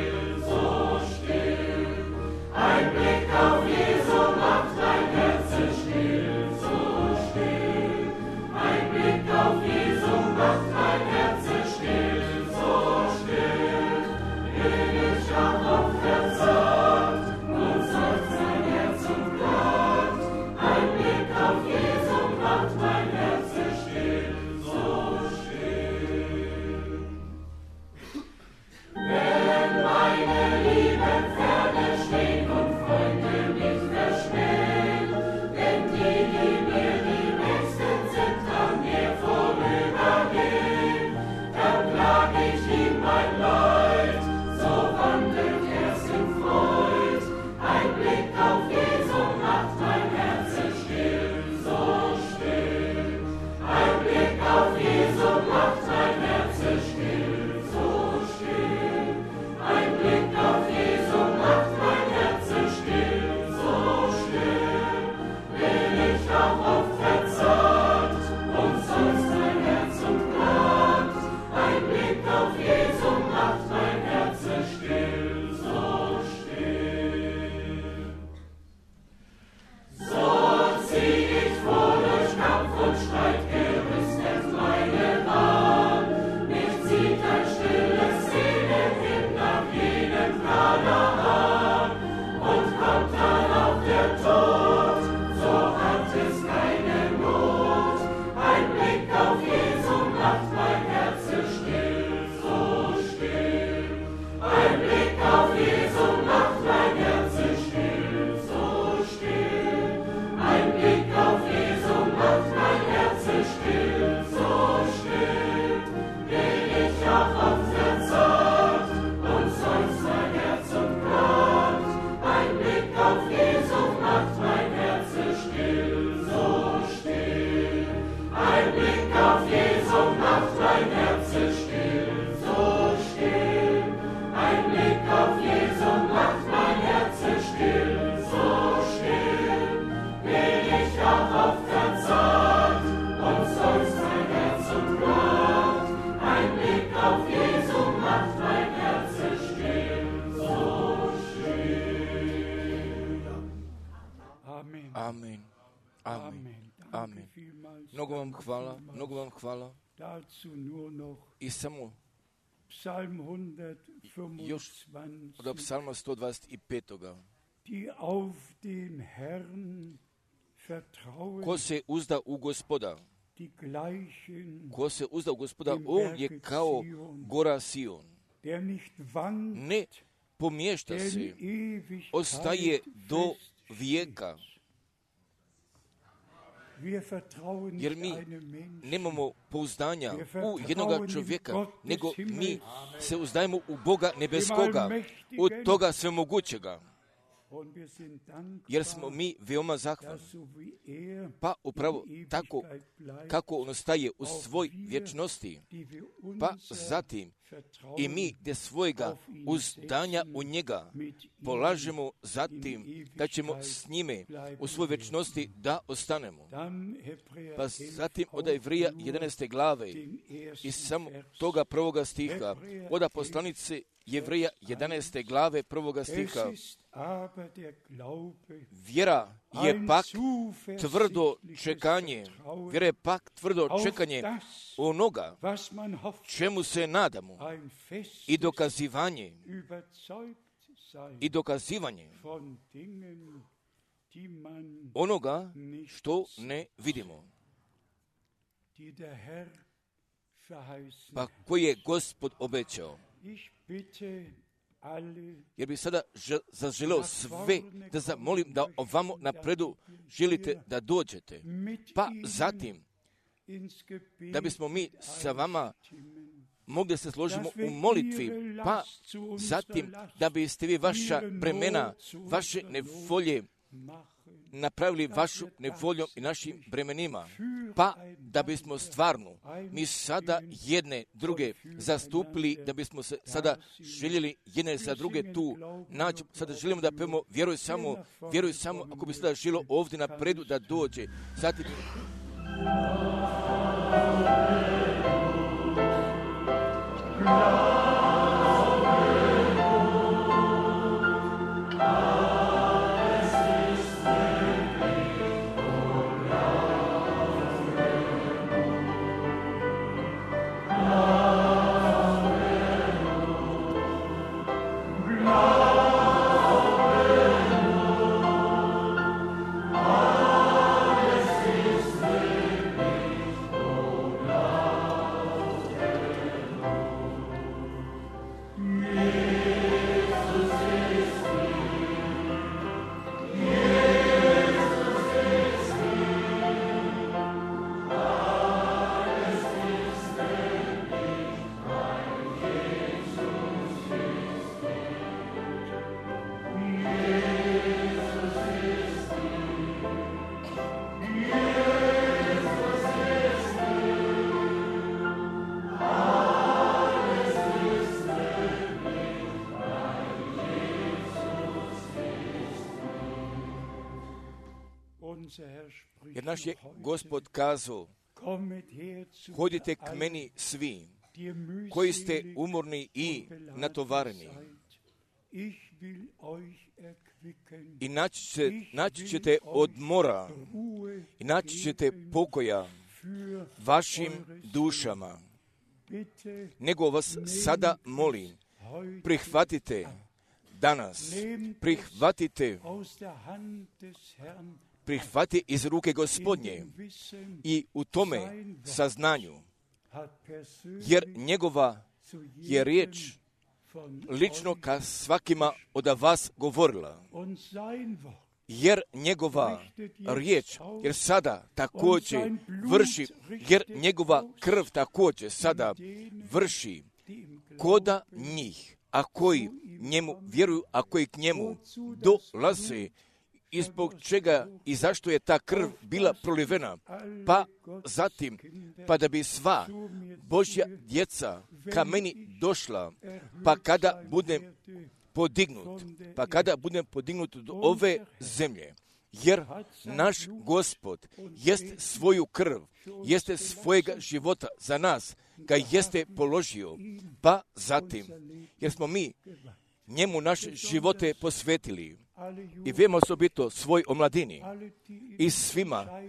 Amen. Amen. Amen. Mnogo vam hvala, mnogo vam hvala. I samo još od psalma sto dvadeset pet. Ko se uzda u Gospoda, ko se uzda u Gospoda, on je kao gora Sion. Ne pomješta se, ostaje do vijeka. Jer mi nemamo pouzdanja u jednoga čovjeka, nego mi se uzdajemo u Boga nebeskoga, od toga svemogućega. Jer smo mi veoma zahvalni. Pa upravo tako kako on ostaje u svoj vječnosti, pa zatim i mi gdje svojega uzdanja u njega polažemo zatim da ćemo s njime u svoj vječnosti da ostanemo. Pa zatim od Evrija jedanaeste glave i samo toga prvoga stiha, od poslanice Jevrija jedanaeste glave prvoga stiha. Vjera je pak tvrdo čekanje, vjera je pak tvrdo čekanje onoga čemu se nadamo i dokazivanje, i dokazivanje onoga što ne vidimo. Pa koji je Gospod obećao. Jer bi sada zaželeo sve da zamolim da ovamo napredu želite da dođete. Pa zatim, da bismo mi sa vama mogli se složimo u molitvi, pa zatim da biste vi vaša bremena, vaše nevolje napravili vašu nevoljom i našim bremenima, pa da bismo stvarno mi sada jedne druge zastupili, da bismo se sada željeli jedne za druge tu naći. Sada želimo da pevamo vjeruj samo, vjeruj samo, ako bi sada želo ovdje napredu da dođe. Zatim jer naš je Gospod kazao, hodite k meni svi, koji ste umorni i natovareni, i naći, će, naći ćete odmora, i naći ćete pokoja vašim dušama. Nego vas sada molim, prihvatite danas, prihvatite prihvati iz ruke Gospodnje i u tome saznanju, jer njegova je riječ lično ka svakima od vas govorila, jer njegova riječ, jer sada također vrši, jer njegova krv također sada vrši koda njih, a koji njemu vjeruju, a koji k njemu dolaze, i zbog čega i zašto je ta krv bila prolivena, pa zatim, pa da bi sva Božja djeca ka meni došla, pa kada budem podignut, pa kada budem podignut od ove zemlje, jer naš Gospod jeste svoju krv, jeste svojega života za nas, ga jeste položio, pa zatim, jer smo mi njemu naše živote posvetili, i vemo osobito svoj omladini i svima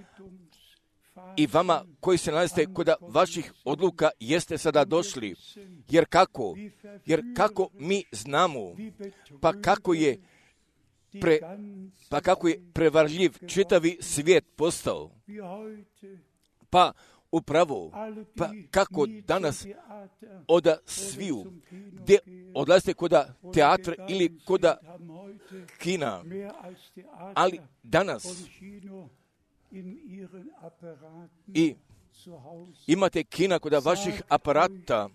i vama koji se nalazite kod vaših odluka jeste sada došli, jer kako, jer kako mi znamo, pa kako je pre, pa kako je prevarljiv čitavi svijet postao, pa upravo, pa kako danas oda sviju, gdje odlazite koda teatra ili koda kina, ali danas i imate kina koda vaših aparata,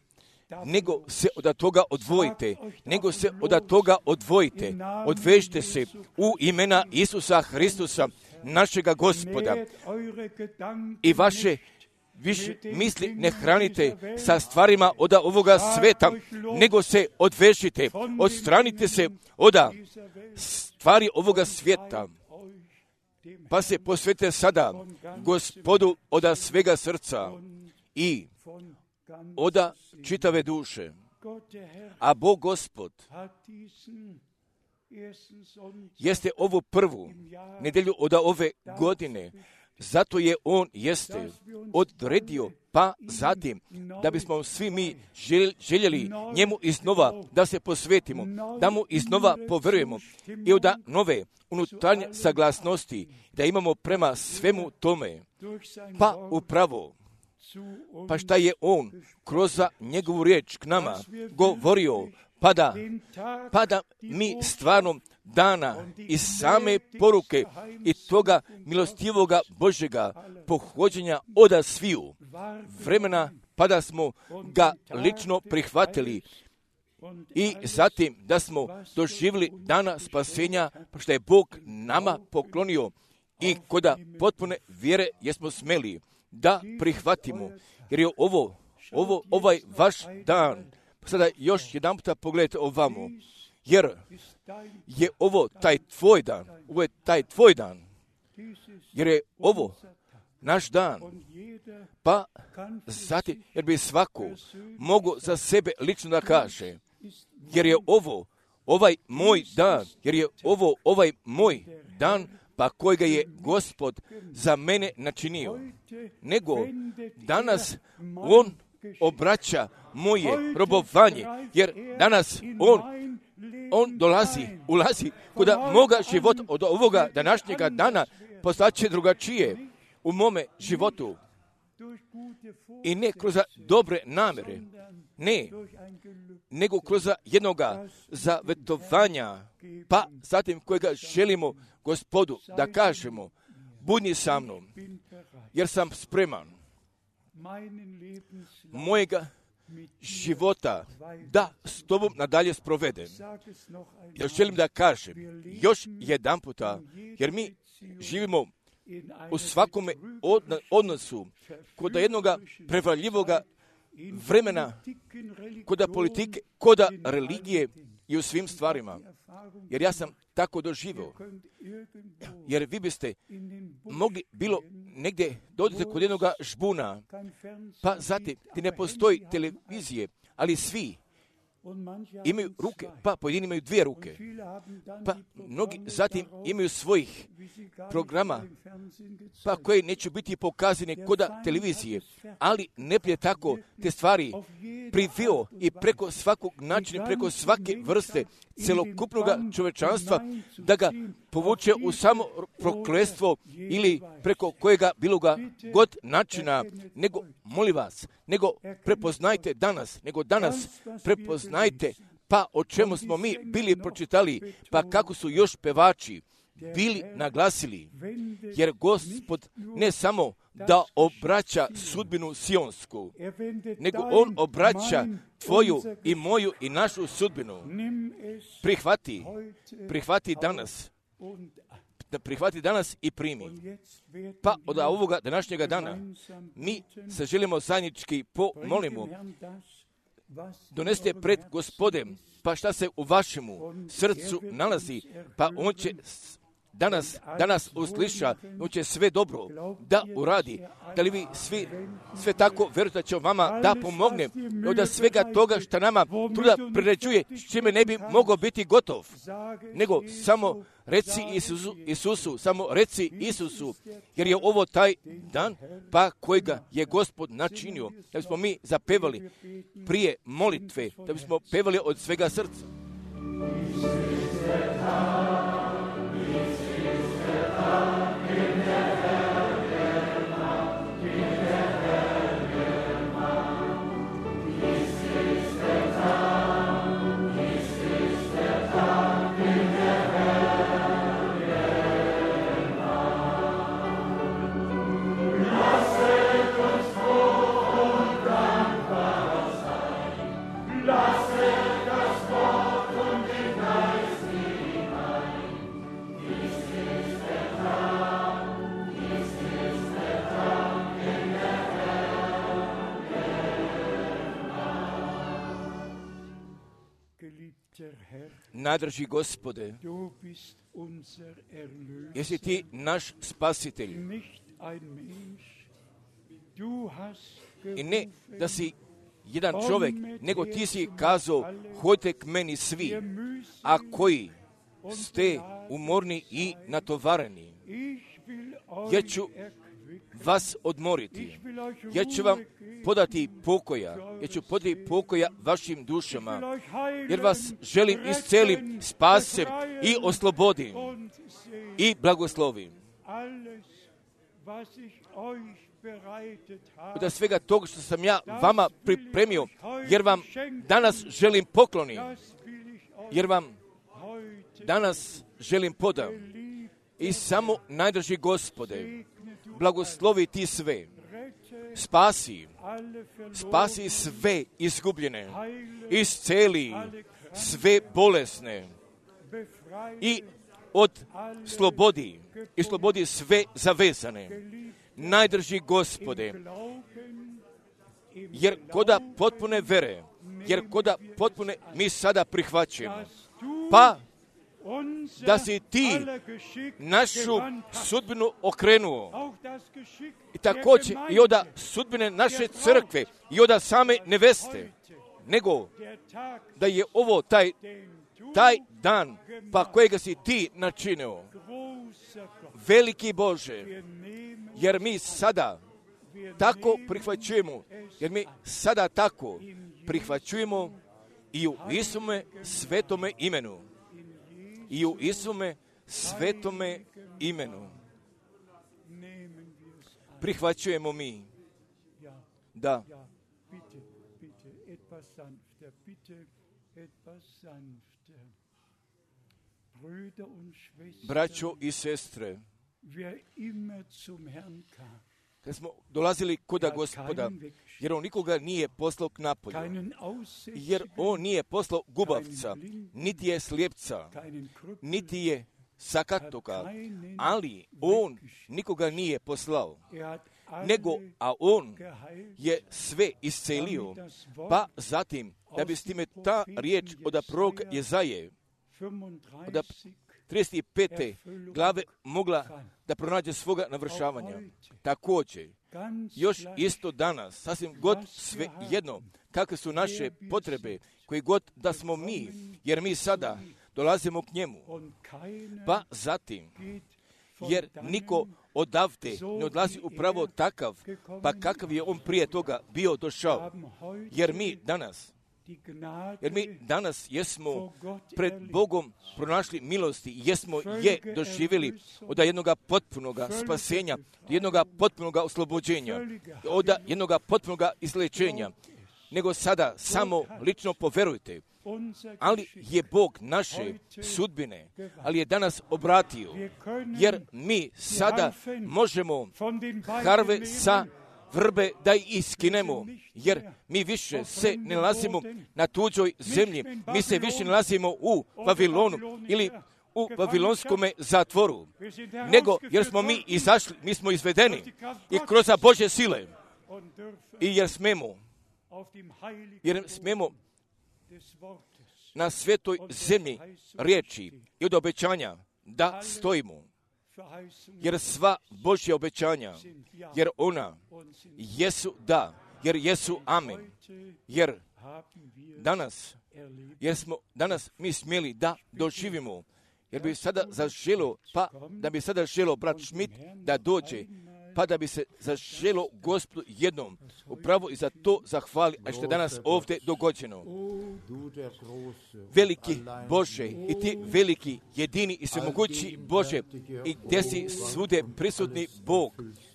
nego se od toga odvojite, nego se od toga odvojite, odvežite se u imena Isusa Hristusa, našega Gospoda, i vaše više misli ne hranite sa stvarima od ovoga sveta, nego se odvežite, odstranite se od stvari ovoga svijeta, pa se posvetite sada Gospodu od svega srca i od čitave duše. A Bog Gospod jeste ovu prvu nedjelju od ove godine, zato je On jeste odredio, pa zatim, da bismo svi mi željeli njemu iznova da se posvetimo, da mu iznova poverujemo i od nove unutarnje saglasnosti, da imamo prema svemu tome, pa upravo, pa šta je On kroz njegovu riječ k nama govorio, pa da, pa da mi stvarno dana iz same poruke i toga milostivoga Božjega pohođenja oda sviju vremena, pa da smo ga lično prihvatili i zatim da smo doživjeli dana spasenja, pa što je Bog nama poklonio i koda potpune vjere jesmo smeli da prihvatimo, jer je ovo, ovo ovaj vaš dan. Sada još jedan puta pogledajte ovamo, jer je ovo taj tvoj dan, ovo je taj tvoj dan, jer je ovo naš dan, pa zatim, jer bi svako mogo za sebe lično da kaže, jer je ovo ovaj moj dan, jer je ovo ovaj moj dan, pa kojega je Gospod za mene načinio, nego danas On obraća moje robovanje, jer danas on, on dolazi, ulazi kod moga života od ovoga današnjega dana postaće drugačije u mome životu. I ne kroz dobre namjere, ne, nego kroz jednoga zavetovanja, pa zatim kojega želimo Gospodu da kažemo, budni sa mnom, jer sam spreman mojega života da s tobom nadalje sprovedem. Ja želim da kažem još jedan puta, jer mi živimo u svakome odnosu kod jednoga prevaljivoga vremena, kod politike, kod religije i u svim stvarima. Jer ja sam tako doživio. Jer vi biste mogli bilo negdje dođete kod jednoga žbuna, pa zatim ti ne postoji televizije, ali svi imaju ruke, pa pojedini imaju dvije ruke, pa mnogi zatim imaju svojih programa, pa koji neće biti pokazane kod televizije, ali ne prije tako te stvari privio i preko svakog načina, preko svake vrste celokupnog čovečanstva, da ga povuče u samo prokletstvo ili preko kojega bilo ga god načina, nego, molim vas, nego prepoznajte danas, nego danas prepoznajte, pa o čemu smo mi bili pročitali, pa kako su još pevači bili naglasili, jer Gospod ne samo da obraća sudbinu sionsku, nego On obraća tvoju i moju i našu sudbinu. Prihvati, prihvati danas, da prihvati danas i primi. Pa od ovoga današnjega dana mi se želimo zajednički pomolimo. Donesite pred Gospodem, pa šta se u vašemu srcu nalazi, pa on će danas, danas usliša, on će sve dobro da uradi. Da li vi svi, sve tako verujete da će vama da pomogne, od svega toga što nama truda priređuje, s čime ne bi mogao biti gotov, nego samo reci Isusu, Isusu, samo reci Isusu, jer je ovo taj dan, pa kojega je Gospod načinio, da bismo mi zapevali prije molitve, da bismo pevali od svega srca. Nadraži Gospode, jesi ti naš spasitelj i ne da si jedan čovjek, nego ti si kazao, hodite k meni svi, a koji ste umorni i natovareni, ja ću vas odmoriti, ja ću vam podati pokoja, ja ću podati pokoja vašim dušama, jer vas želim iscelim, spasem i oslobodim i blagoslovim. Od svega toga što sam ja vama pripremio, jer vam danas želim pokloni, jer vam danas želim podam. I samo najdraži Gospode, blagoslovi ti sve, spasi, spasi sve izgubljene, isceli sve bolesne i od slobodi, i slobodi sve zavezane. Najdrži Gospode, jer koda potpune vere, jer koda potpune mi sada prihvaćamo, pa da si ti našu sudbinu okrenuo i također i od sudbine naše crkve i od same neveste, nego da je ovo taj, taj dan pa kojega si ti načinio. Veliki Bože, jer mi sada tako prihvaćujemo, jer mi sada tako prihvaćujemo i u Isume svetome imenu. I u Isume svetome imenu prihvaćujemo mi. Da. Braćo i sestre, kad smo dolazili koda Gospoda, jer on nikoga nije poslao k napolju, jer on nije poslao gubavca, niti je slijepca, niti je sakatoga, ali on nikoga nije poslao, nego, a on je sve iscelio, pa zatim, da bi s time ta riječ od proroka Jezaje, od trideset pete glave mogla da pronađe svoga navršavanja. Također, još isto danas, sasvim god sve jedno, kakve su naše potrebe, koji god da smo mi, jer mi sada dolazimo k njemu, pa zatim, jer niko odavde ne odlazi upravo takav, pa kakav je on prije toga bio došao, jer mi danas, jer mi danas jesmo pred Bogom pronašli milosti, jesmo je doživjeli od jednoga potpunoga spasenja, od jednoga potpunoga oslobođenja, od jednoga potpunoga izlečenja, nego sada samo lično poverujte, ali je Bog naše sudbine, ali je danas obratio, jer mi sada možemo harve sa vrbe da ih iskinemo, jer mi više se ne nalazimo na tuđoj zemlji, mi se više nalazimo u Vavilonu ili u Vavilonskome zatvoru, nego jer smo mi izašli, mi smo izvedeni i kroz Božje sile i jer smemo, jer smemo na svetoj zemlji riječi i od obećanja da stojimo, jer sva Božja obećanja, jer ona jesu da, jer jesu amen, jer danas, jer smo danas mi smjeli da doživimo, jer bi sada zaželo, pa da bi sada želo brat Schmidt da dođe, pa da bi se zaželo Gospodu jednom upravo i za to zahvali, a što je danas ovdje dogođeno. Veliki Bože i ti veliki, jedini i svemogući Bože, i gdje si svude prisutni Bog,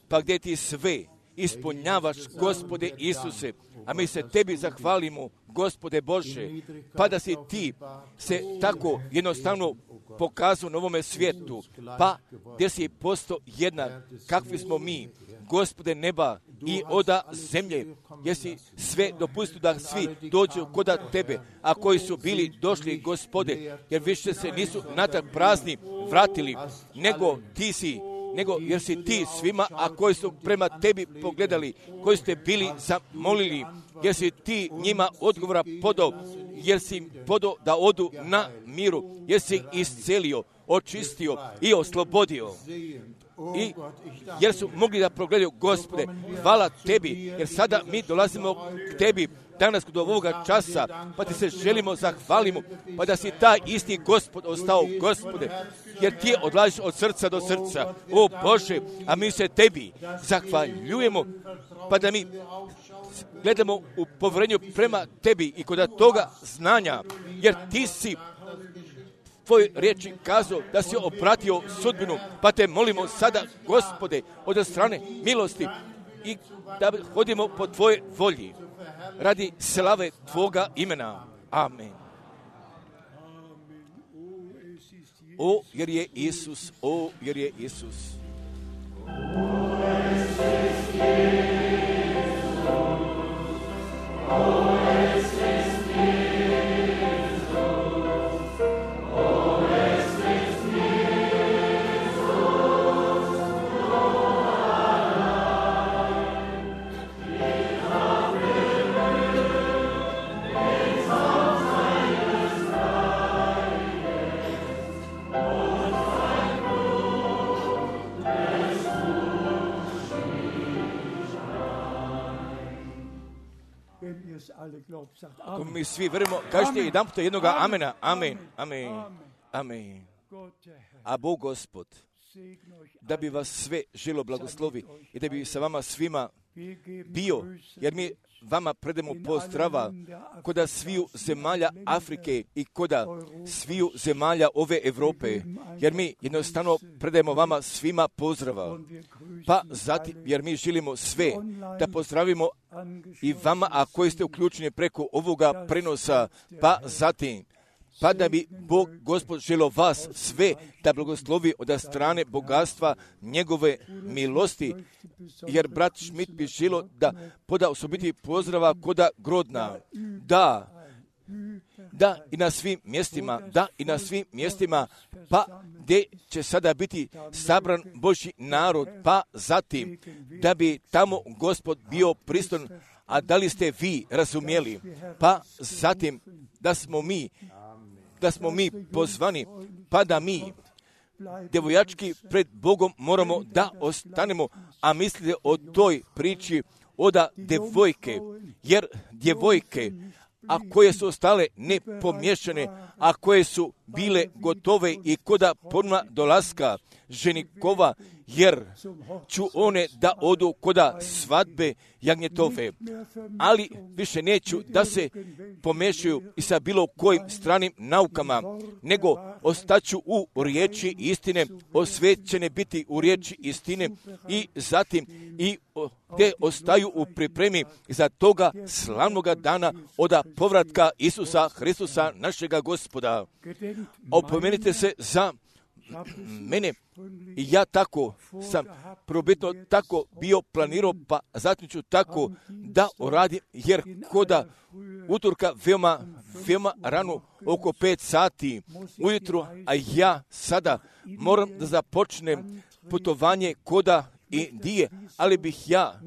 pa gdje ti sve ispunjavaš, Gospode Isuse, a mi se tebi zahvalimo, Gospode Bože, pa da si ti se tako jednostavno pokazao na ovome svijetu, pa gdje si postao jednak, kakvi smo mi, Gospode neba i oda zemlje, gdje si sve dopustio da svi dođu kod tebe, a koji su bili došli, Gospode, jer više se nisu natrag prazni vratili, nego ti si, nego jer si ti svima, a koji su prema tebi pogledali, koji ste bili zamolili, jer si ti njima odgovora podao, jer si im podao da odu na miru, jer si ih iscelio, očistio i oslobodio. I jer su mogli da progledaju, Gospode, hvala tebi, jer sada mi dolazimo k tebi danas kod ovoga časa, pa ti se želimo, zahvalimo, pa da si taj isti Gospod ostao, Gospode, jer ti odlaziš od srca do srca, o Bože, a mi se tebi zahvaljujemo, pa da mi gledamo u povjerenju prema tebi i kod toga znanja, jer ti si tvoj riječi kazao da si opratio sudbinu, pa te molimo sada, Gospode, od strane milosti i da hodimo po tvoje volji radi slave tvoga imena. Amen. O, jer je Isus, o, jer je Isus. Ako mi svi verujemo, kažete jedan puta jednoga amena, amen, amen, amen. A Bog Gospod, da bi vas sve želo blagoslovi i da bi sa vama svima bio, jer mi vama predemo pozdrava koda sviju zemalja Afrike i koda sviju zemalja ove Europe, jer mi jednostavno predajemo vama svima pozdrava. Pa zatim, jer mi želimo sve da pozdravimo i vama, a koji ste uključeni preko ovoga prenosa, pa zatim, pa da bi Bog, Gospod, želo vas sve da blagoslovi od strane bogatstva njegove milosti, jer brat Schmidt bi želo da poda osobiti pozdrava koda Grodna. Da, da i na svim mjestima, da i na svim mjestima, pa gdje će sada biti sabran Božji narod, pa zatim da bi tamo Gospod bio prisutan, a da li ste vi razumjeli, pa zatim da smo mi da smo mi pozvani, pa da mi, djevojački, pred Bogom moramo da ostanemo, a mislite o toj priči oda djevojke, jer djevojke, a koje su ostale nepomješane, a koje su bile gotove i koda ponma dolaska ženikova, jer ću one da odu koda svadbe jagnjetove, ali više neću da se pomešaju i sa bilo kojim stranim naukama, nego ostaću u riječi istine, osvećene biti u riječi istine i zatim i te ostaju u pripremi za toga slavnoga dana oda povratka Isusa Hristusa našega Gospoda. Opomenite se za mene i ja tako sam probitno tako bio planirao, pa zatim ću tako da uradim, jer koda utorka veoma, veoma rano, oko pet sati ujutru, a ja sada moram da započnem putovanje koda Indije, ali bih ja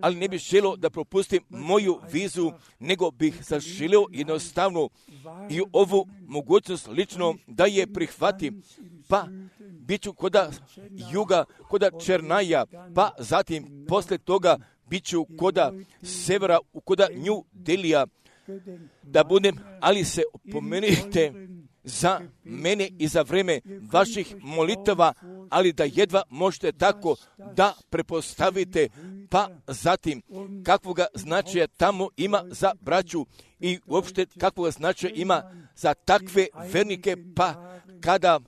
ali ne bih želio da propustim moju vizu, nego bih zaželio jednostavno i ovu mogućnost lično da je prihvatim, pa bit ću koda juga, koda Černaja, pa zatim posle toga bit ću koda severa, koda New Delija, da budem, ali se opomenite za mene i za vreme vaših molitava, ali da jedva možete tako da prepostavite, pa zatim kakvoga značaja tamo ima za braću i uopšte kakvoga značaja ima za takve vernike, pa kada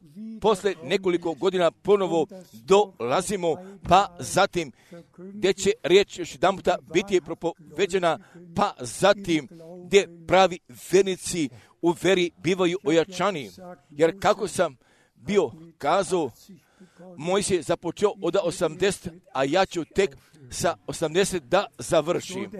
posle nekoliko godina ponovo dolazimo, pa zatim gdje će riječ još jedan puta biti propoveđena, pa zatim gdje pravi vernici u veri bivaju ojačani. Jer kako sam bio kazao, Mojsije započeo od osamdeset, a ja ću tek sa osamdeset da završim.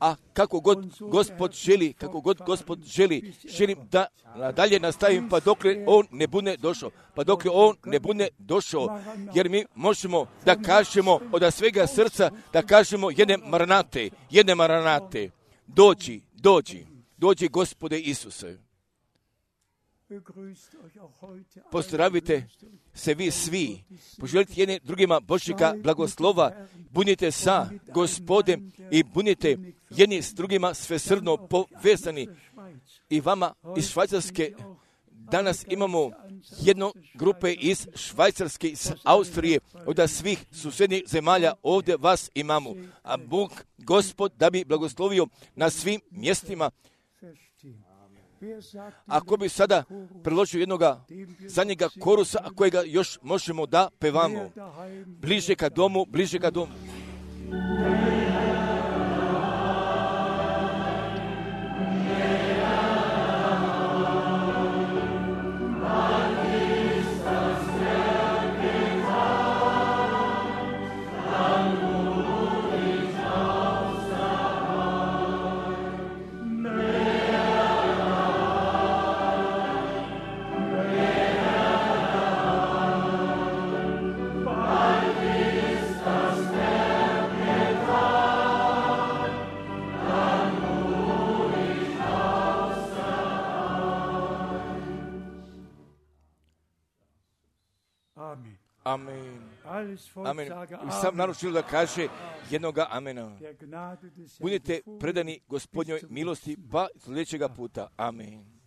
A kako god Gospod želi, kako god Gospod želi, želim da nadalje nastavim, pa dokle On ne bude došao. Pa dokle On ne bude došao, jer mi možemo da kažemo od svega srca, da kažemo jedne maranate, jedne maranate, dođi, dođi, dođi Gospode Isuse. Pozdravite se vi svi, poželite jedne drugima Božjega blagoslova, budite sa Gospodem i budite jedni s drugima svesrdno povezani. I vama iz Švajcarske danas imamo jednu grupe iz Švajcarske, iz Austrije, od svih susjednih zemalja ovdje vas imamo. A Bog, Gospod, da bi blagoslovio na svim mjestima. Ako bi sada predložio jednoga zadnjega korusa, a kojega još možemo da pevamo. Bliže ka domu, bliže ka domu. Amen. Amen. I sam naručio da kaže jednoga amena. Budite predani Gospodnjoj milosti, pa sljedećega puta. Amen.